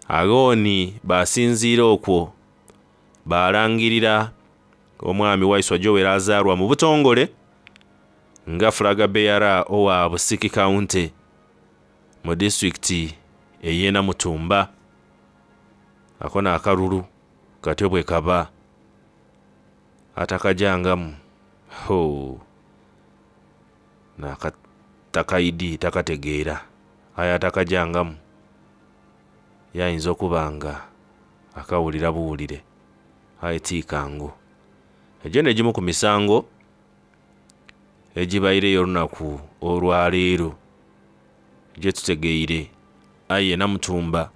agooni basinziira okwo balangirira omwami Waiswa Joel Azaarwa mu butongole nga flag bearer owa Busiki County mu disitulikiti ey'e Namutumba. Ako n'akalulu katyo bwe kaba atakajangamu ho n'akatakaidi takategeera, aye atakajangamu yayinza okuba nga akawulira buwulire, aye tiikangu. Egyo n'egimu ku misango egibaireyo olunaku olwaleero gye tutegeire. Aye Namutumba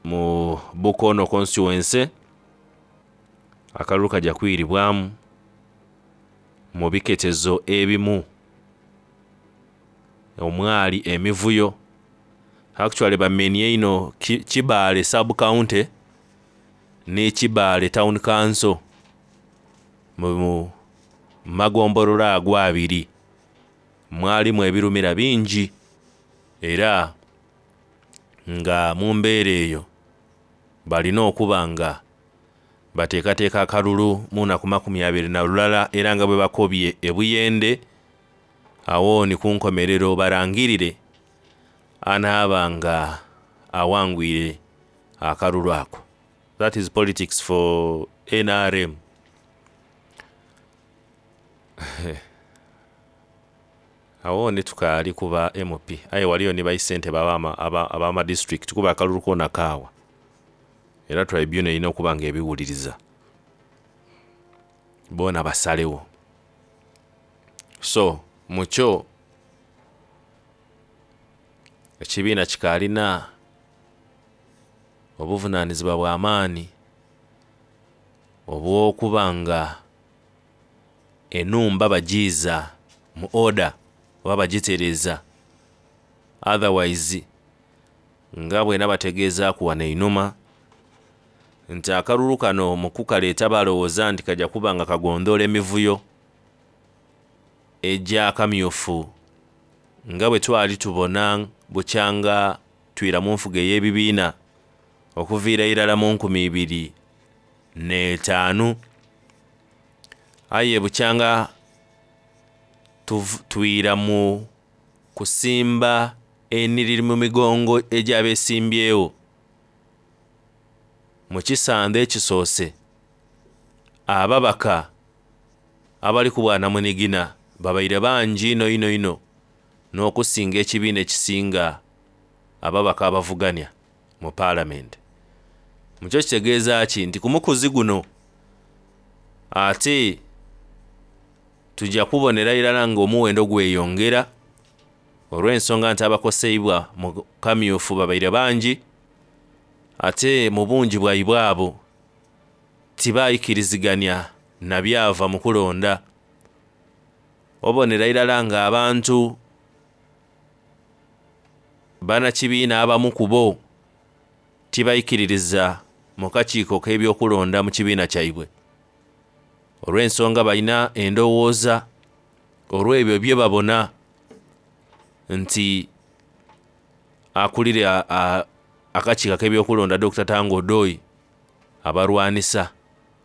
mu Bukono constituency akalulu kajja kwiribwamu mu biketezo ebimu omwali emivuyo. Actually bamenye ino Kibaale sub county ne Kibaale town council mu magombolola ago abiri mwalimu ebirumira bingi, era nga mu mbeera eyo balina okuba nga bateekateeka akalulu mu nnaku makumi abiri na lulala, era nga bwe bakobye ebuyende awo ni ku nkomerero barangirire anaaba nga awangwire akalulu ako. That is politics for N R M. Awo ni tukaali kuba M P, aye waliyo ni baisente abama district kuba akalulu kona kaawa, era tribunal erina okuba nga ebiwuliriza boona basalewo. So mukyo ekibiina kikaalina obuvunaanyizibwa bw'amaanyi obw'okuba nga ennumba bagiiza mu order oba bagitereeza, otherwise nga bwena bategeezaaku wano einhuma nti akalulu kano mu kukaleeta balowooza nti kajja kuba nga kagondoola emivuyo egy'akamyufu nga bwe twali tubona bukyanga twira mu nfuga ey'ebibiina okuviira irala mu nkumi ibiri n'etaanu, aye bukyanga twira mu kusimba eniriri mu migongo egy'abeesimbyewo mu kisande ekisoose. Ababaka abali ku bwanamunigina babaire bangi ino ino ino n'okusinga ekibiina ekisinga ababaka abavuganya mu paalamenti. Mukyo kitegeeza ki nti ku mukuzi guno ate tujja kubonera irala ng'omuwendo gweyongera olw'ensonga nti abakoseibwa mu kamyufu babaire bangi, ate mu bungi bwaibwe abo tibayikiriziganya na byava mu kulonda. Obonera irala ng'abantu bannakibiina abamu ku bo tibayikiririza mu kakiiko k'ebyokulonda mu kibiina kyaibwe olw'ensonga balina endowooza olw'ebyo bye babona nti akulira akakiiko k'ebyokulonda Doctor Tanga Odoi abalwanisa,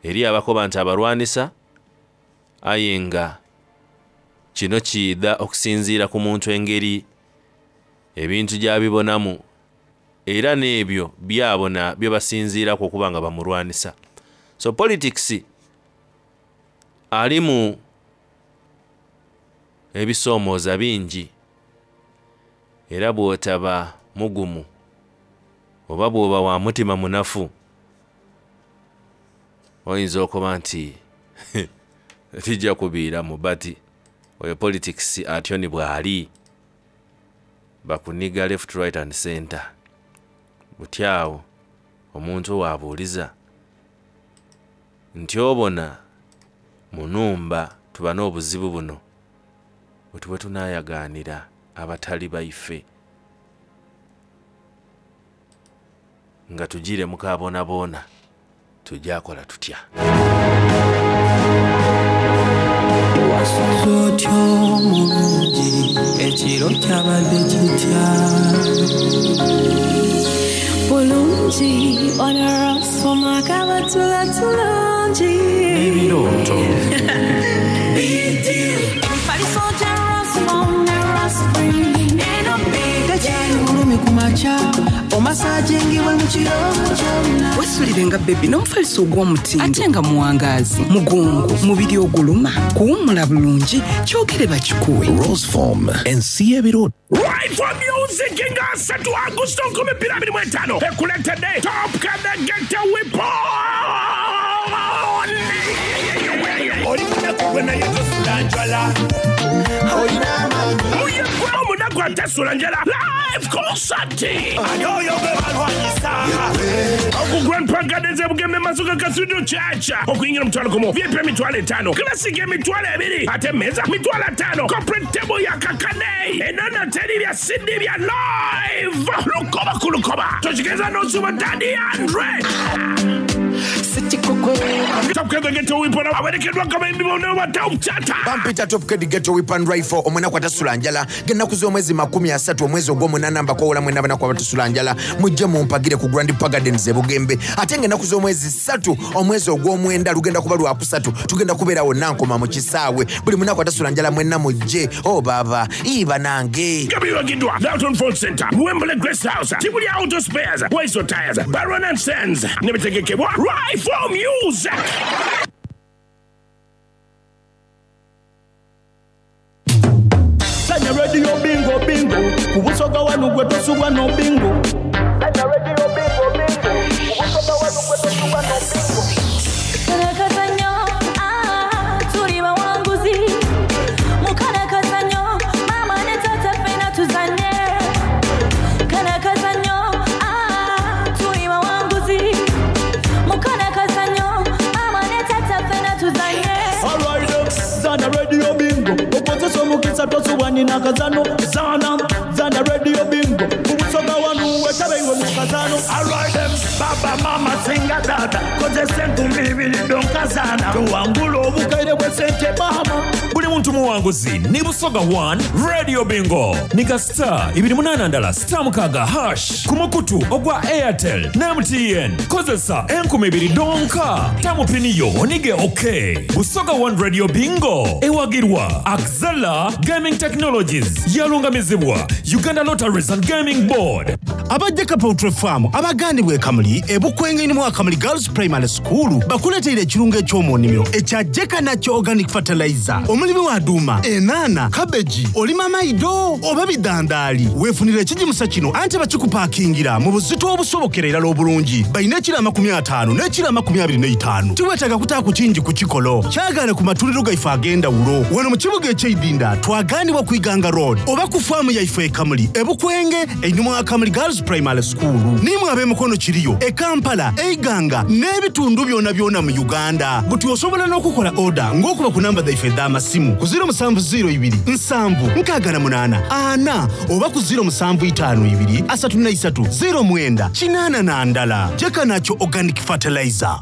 eri abakoba nti abalwanisa, aye nga kino kiidha okusinziira ku muntu engeri ebintu gy'abibonamu era n'ebyo byabona bye basinziiraku okuba nga bamulwanisa. So politics alimu ebisoomooza bingi, era bw'otaba mugumu oba bw'oba wa mutima munafu oyinza okuba nti tijja kubiiramu, but oyo politics atyo ni bw'ali, bakuniga left, right and center. Butyawo omuntu waabuuliza nti obona mu nnumba tuba n'obuzibu buno bwe tuba tunaayagaanira abatali baife nga tugire mukaabonaboona, tujakola tutya? Wasuze otyo mulungi, ekiro kyabadde kitya? Bulungi, onarasoma kabatula tulungi. Ebirooto. Emifaliso gya Rasmo ne Raspberry eno big. Tekyali bulumi ku makya, omasajingibwe mu kiro kyonna. Wesulire nga bebi n'omufaliso ogw'omutindo ate nga muwangaazi, mugongo, mubiri oguluma, kuwummula bulungi, kyogere bakikuwe. Roseform ensi y'ebirooto. Right for music nga asatu Agusto nkumi bbiri abiri mu etaano ekuleetedde Top Kadagete Weapon. Oli munaku gwe naye tosula njala. Muyegwe omunaku atasula njala live concert. Ani oyo gwe balwanyisa? Oku Grand Park Gardens e Bugembe Masuka Cathedral Church. Okuyingira omutwalo gumu, V I P emitwalo etaano, Classic emitwalo ebiri, ate emmeeza mitwalo ataano, corporate table ya kakade, enono teri bya C D bya live. Lukoba ku lukoba. Tokigeza n'osuba Daddy Andre. Top Kid Ghetto Weapon awerekeddwa abayimbi bonna ba Top Chata. Bampita Top Kid Ghetto Weapon Rifle, omunaku atasula njala. Ng'ennaku z'omwezi makumi asatu omwezi ogw'omunaana mbakoowola mwenna abanaku abatasula njala, mujje mumpagire ku Grand Park Gardens e Bugembe. Ate ng'ennaku z'omwezi ssatu omwezi ogw'omwenda lugenda kuba lwakusatu, tugenda kubeera wonna Nkoma mu kisaawe. Buli munaku atasula njala mwenna mujje. Oh baba, iba nange. Gabiwagiddwa Dalton Ford Center, Wembley Grace House, Tibuli Auto Spares, Waiso Tires, Baron and Sons, ne bitegekebwa Rifle Music. Sanya radio bingo bingo, kubusoga wanu gwe tosubwa no bingo. Sanya radio bingo bingo, kubusoga wanu gwe tosubwa no bingo. Karakazanyo, ah, tuli bawanguzi. Mukarakazanyo, mama ne tata ffena tuzanye. Karakazanyo, ah, tuli bawanguzi. Mukarakazanyo, mama ne tata ffena tuzanye. All right, Zana radio bingo, okozesa omukisa tosubwa nina kazano. Zana, Zana radio bingo, kubusoga wanu wetabe iwe mu kazano. All right, them, baba mama singa dada, kozesa enkumbi ibiri donkazana. Tuwangula obukaire bwe sente bahama. Buli muntu muwanguzi ni Busoga one Radio Bingo. Nika star ibiri munana ndala star mukaga hash ku mukutu ogwa Airtel na M T N. Kozesa enkumi ibiri donka. Tamupiniyo onige okay. Busoga one Radio Bingo ewagirwa Axela Gaming Technologies yalungamizibwa Uganda Lotteries and Gaming Board. Aba Abejjeka Poultry Farm abagandibwa e Kamuli ebukwenge mu Kamuli Girls Primary School bakuleteire ekirungo eky'omunnimiro ekya Jeka Nakyo Organic Fertilizer. Omulimi wa duuma, enaana, kabeji, olima maido oba bidandaali, weefunira ekigimusa kino anti bakikupaakingira mu buzito obusobokera irala obulungi. Balina ekiro amakumi ataano n'ekiro amakumi abiri n'eitaano. Tiweetaaga kutaaku kingi ku kikolo, kyagaane ku matuliro gaife ag'endawulo. Wano mu kibuga eky'eidinda twagaanibwa ku Iganga Road oba ku faamu yaife e Kamuli ebukwenge einhuma wa Kamuli Girls Primary School. Nimwe ab'emikono kiriyo e Kampala, Eiganga n'ebitundu byona byona mu Uganda. Buti osobola n'okukola oda ng'okuba ku namba zaife edh'amasimu ku ziro musanvu ziro ibiri nsanvu nkaaga na munaana ana oba ku ziro musanvu itaano ibiri asatu na isatu ziro mwenda kinaana na ndala. Jeka Nakyo Organic Fertilizer.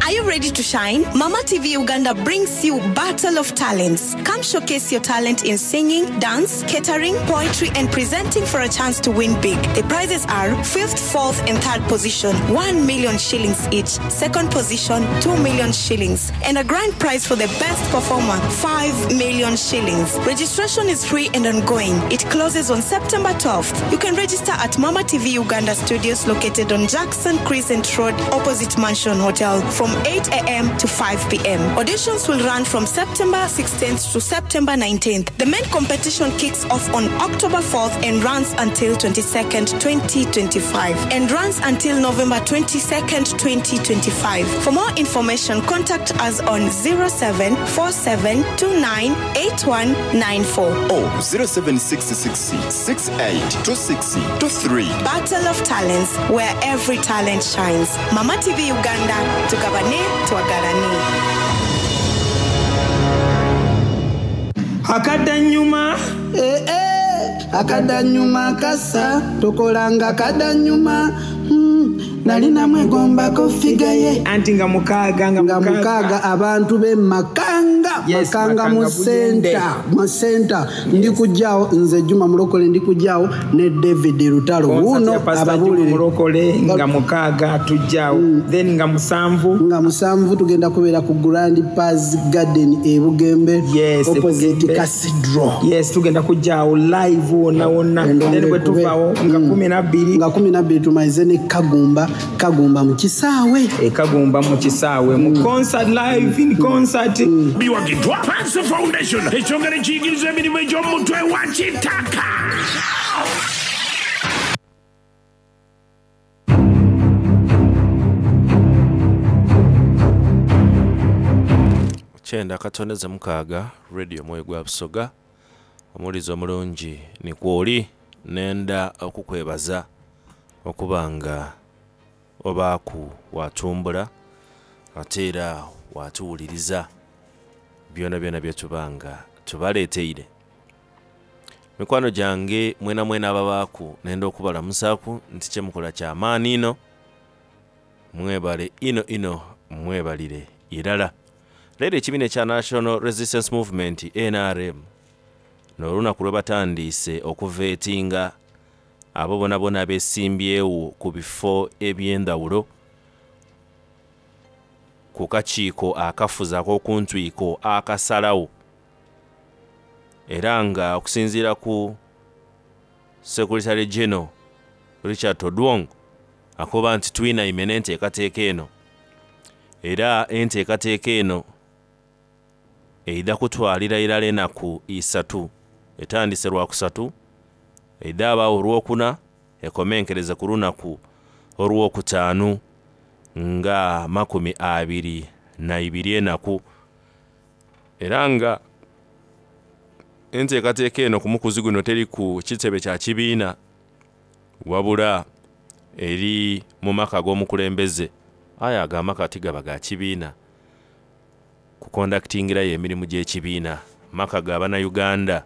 Are you ready to shine? Mama T V Uganda brings you Battle of Talents. Come showcase your talent in singing, dance, catering, poetry, and presenting for a chance to win big. The prizes are fifth, fourth, and third position, one million shillings each. Second position, two million shillings. And a grand prize for the best performer, five million shillings. Registration is free and ongoing. It closes on September twelfth. You can register at Mama T V Uganda Studios located on Jackson Crescent Road, opposite Mansion Hotel, from eight A M to five P M. Auditions will run from September sixteenth to September nineteenth. The main competition kicks off on October fourth and runs until twenty-second, twenty twenty-five, and runs until November twenty-second, twenty twenty-five. For more information, contact us on zero seven four seven two nine eight one nine four or zero seven six six six eight two six two three. Battle of Talents, where every talent shines. Mama T V Uganda, tugabane twagalane. Akadanyuma eh eh akadanyuma kasa tokolanga kadanyuma mm, nalina mwegombako figa ye anti nga mukaaga nga mukaaga abantu be Makanga. Yes, Makanga mu center mu center. Yes. Ndi kujjaawo nze Juma Mulokole, ndi kujjaawo ne David Lutalo wuno ababuulire Mulokole nga mukaaga tujjaawo mm. Then nga musanvu nga musanvu tugenda kubeera ku Grand Paz Garden e Bugembe. Yes, opposite Cathedral. Yes, tugenda kujjaawo live wonna wonna. Then bwe tuvaawo nga kumi na bbiri nga kumi na bbiri tumalize ne Kagumba Kagumba mu kisaawe e Kagumba mu kisaawe mu mm. concert live in concert mm. Biwagidwa Pansi Foundation ekyongera ekiyigiriza emirimu egy'omutwe wa kitaka. Kyenda katoneze mukaaga radio Mwoyo gwa Busoga. Omuwulizi omulungi ni kwoli nenda okukwebaza okubanga obaaku watumbula ate era watuwuliriza byona byona byetubanga tubaleeteire. Mikwano gyange mwena mwena ababaaku nenda okubalamusaaku nti kyemukola kyamaani ino, mwebale ino ino mwebalire irala. Leero ekibiina ekya National Resistance Movement N R M n'olunaku lwe batandiise okuveetinga abo bona bona abesimbyewo ku bifo eby'endawulo ku kakiiko akafuzi ak'okuntwiko akasalawo, era nga okusinziira ku Secretary General Richard Todwong akoba nti twinaime n'enteekateeka eno, era enteekateeka eno eidha kutwalira irala enaku isatu. Etandise lwakusatu, eidha abaawo olwokuna, ekomenkereza ku lunaku olwokutaano nga makumi abiri na ibiri enaku. Era nga enteekateeka eno ku mukuzi guno teri ku kitebe kya kibiina, wabula eri mu maka g'omukulembeze. Aya ago amaka tigaba ga kibiina kukondakitingirayo emirimu gy'ekibiina, maka ga bannayuganda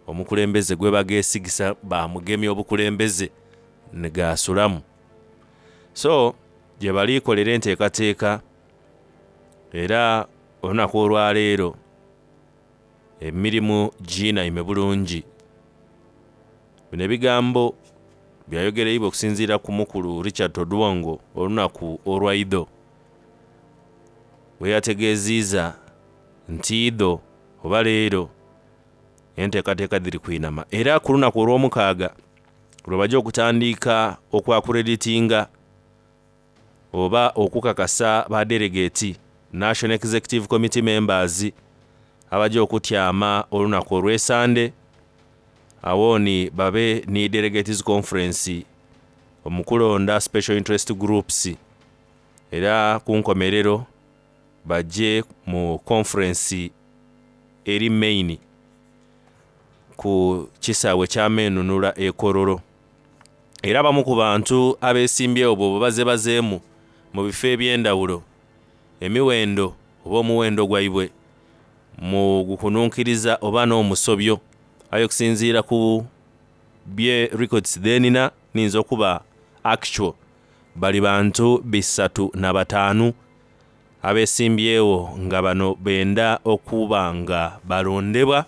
omukulembeze gwe bageesigisa bamugemya obukulembeze ne gaasulamu. So gye baliikolera enteekateeka, era olunaku olwaleero emirimu ginaime bulungi. Bino ebigambo byayogereibwa okusinziira ku mukulu Richard Todwongo olunaku olwaidho, bwe yategeeziiza nti idho oba leero enteekateeka dhiri kwinama. Era ku lunaku olw'omukaaga Lwe bajja okutandika okwakureditinga oba okukakasa ba delegate National Executive Committee members abajja okutyama olunaku olw'esande, awooni babe ni delegates conference omukulonda special interest groups, era ku nkomerero bajje mu conference eri main ku kisaawe kyamenunula ekololo. Era abamu ku bantu abeesimbyewo bwe baze bazeemu mu bifo eby'endawulo, emiwendo oba omuwendo gwaibwe mu gukununkiriza oba n'omusobyo, aye okusinziira ku bye records dhenina ninza okuba actual bali bantu bisatu na bataanu abeesimbyewo nga bano benda okuba nga balondebwa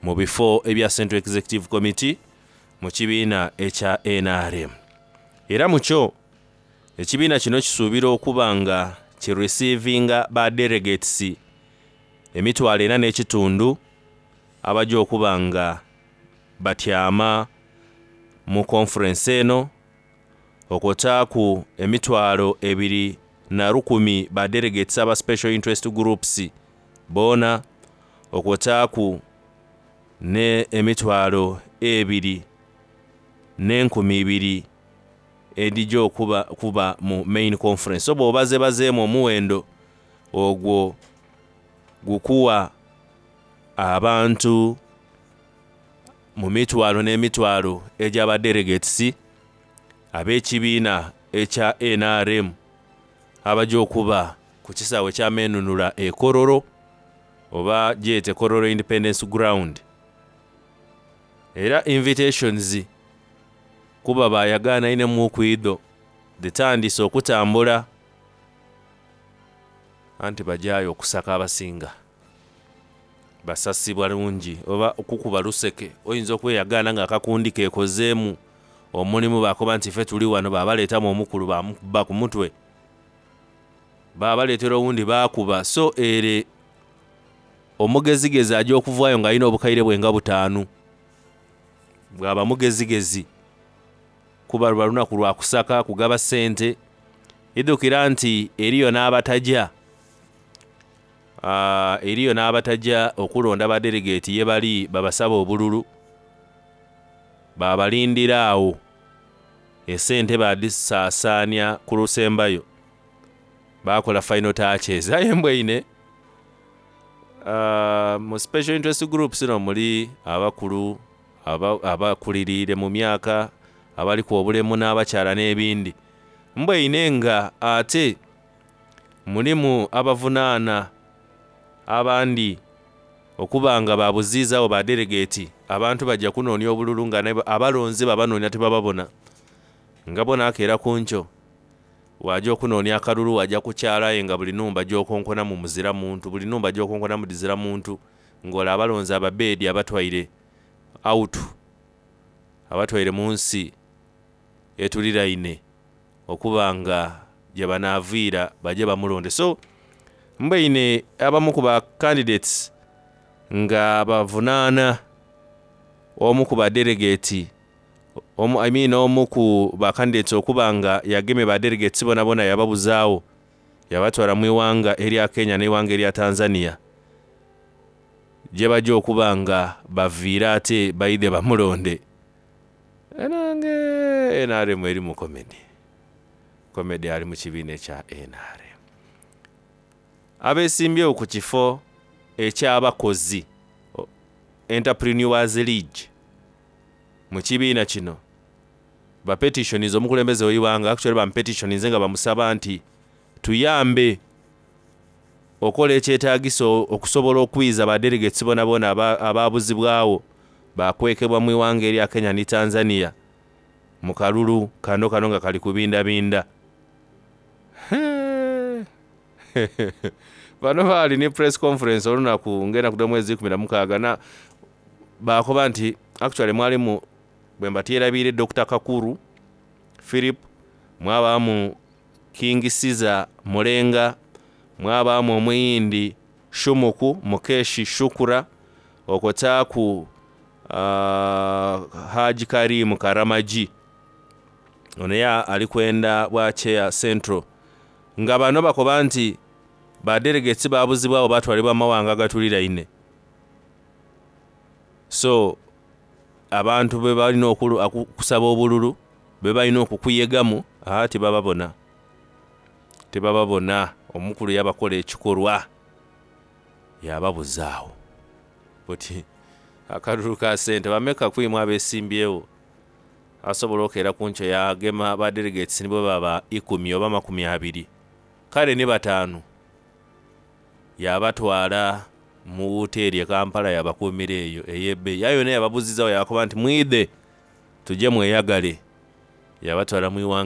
mu bifo ebya Central Executive Committee mu kibiina ekya N R M. Era mukyo ekibiina kino kisuubira okuba nga kireceivinga ba delegates emitwalo ena n'ekitundu abajja okuba nga batyama mu conference eno, okwotaaku emitwalo ebiri na lukumi ba delegates aba special interest groups boona, okwotaaku ne emitwalo ebiri n'enkumi ibiri edijja okuba kuba mu main conference. So bw'obaze bazeemu omuwendo ogwo gukuwa abantu mu mitwalo n'emitwalo egy'aba delegates ab'ekibiina ekya N R M abajja okuba ku kisaawe kyamenunula ekololo oba gyete Kololo Independence Ground. Era invitations kuba bayagaana ine mu kwido ditandise okutambula anti bajayo okusaka abasinga basasibwa lungi oba okukuba luseke. Oyinza okweyagaana nga akakundi keekozeemu omulimu, bakoba nti ffe tuli wano, babaleetamu omukulu bamukuba ku mutwe, babaleetera owundi baakuba. So ere omugezigezi ajja okuvaayo ng'alina obukaire bwe nga butaanu, bw'aba mugezigezi kuba luba lunaku lwa kusaka kugaba ssente. Idukira nti eriyo n'abatajja, ah, eriyo n'abatajja okulonda ba delegate ye bali babasaba obululu, babalindira awo esente badisaasaanya ku lusembayo, bakola final touches. Aye mbweine, ah, mu special interest groups no muli abakulu abakuliriire mu myaka, abaliku obulemu n'abakyala n'ebindi. Mbweine nga ate mulimu abavunaana abandi okuba nga babuziizaawo ba delegate, abantu bajja kunoonya obululu nga abalonzi babanoonya tebababona. Nga bona akeera ku nkyo wajja okunoonya akalulu, wajja kukyalayo nga buli nnumba gy'okonkona mu muzira muntu, buli nnumba gy'okonkona mu dizira muntu, ng'ola abalonzi ababeedi abatwaire out, abatwaire mu nsi etuliraine okuba nga gye banaaviira bajje bamulonde. So mbweine abamu ku ba candidates nga bavunaana omu ku ba delegate, omu, I mean, omu ku ba candidates okuba nga yagemye ba delegates bona bona yababuzaawo, yabatwala mu iwanga erya Kenya n'iwanga erya Tanzania gye bajja okuba nga baviira ate baide bamulonde. Enange N R M eri mu comedy, comedy ali mu kibiina ekya N R M. Abeesimbyewo ku kifo eky'abakozi Entrepreneurs League mu kibiina kino ba petitions omukulembeze w'iwanga actually ba petitions nga bamusaba nti tuyambe okola ekyetaagisa okusobola okwiza ba delegates bona bona ababuzibwawo bakwekebwa mu iwanga erya Kenya ne Tanzania mu kalulu kano kano nga kali kubindabinda. Bano baali ne press conference olunaku ngenda kuda mwezi kumi na mukaaga na bakoba nti actually mwalimu bwe mbatyerabiire Doctor Kakuru Philip, mwabaamu King Caesar Mulenga, mwabaamu omuyindi Shumuku Mukeshi Shukura, okotaaku uh, Haji Karim Karamaji ono ye ali kwenda bwa chair central nga bano bakoba nti ba delegates babuzibwawo batwalibwa mawanga agatuliraine. So abantu be balina okusaba obululu be balina okukuyegamu, aa, tebababona, tebababona. Omukulu yabakola ekikolwa yababuzaawo buti akalulu ka sente bameka kwimu abesimbyewo asobola okeera ku nkyo yagema ba delegates nibo baba ikumi oba makumi abiri kale ni bataano yabatwala mu woteeri e Kampala, yabakuumira eyo ey'ebbeeyi aye yona yababuzizawo, yabakoba nti mwidhe tujje mweyagale, yabatwala mu iwanga.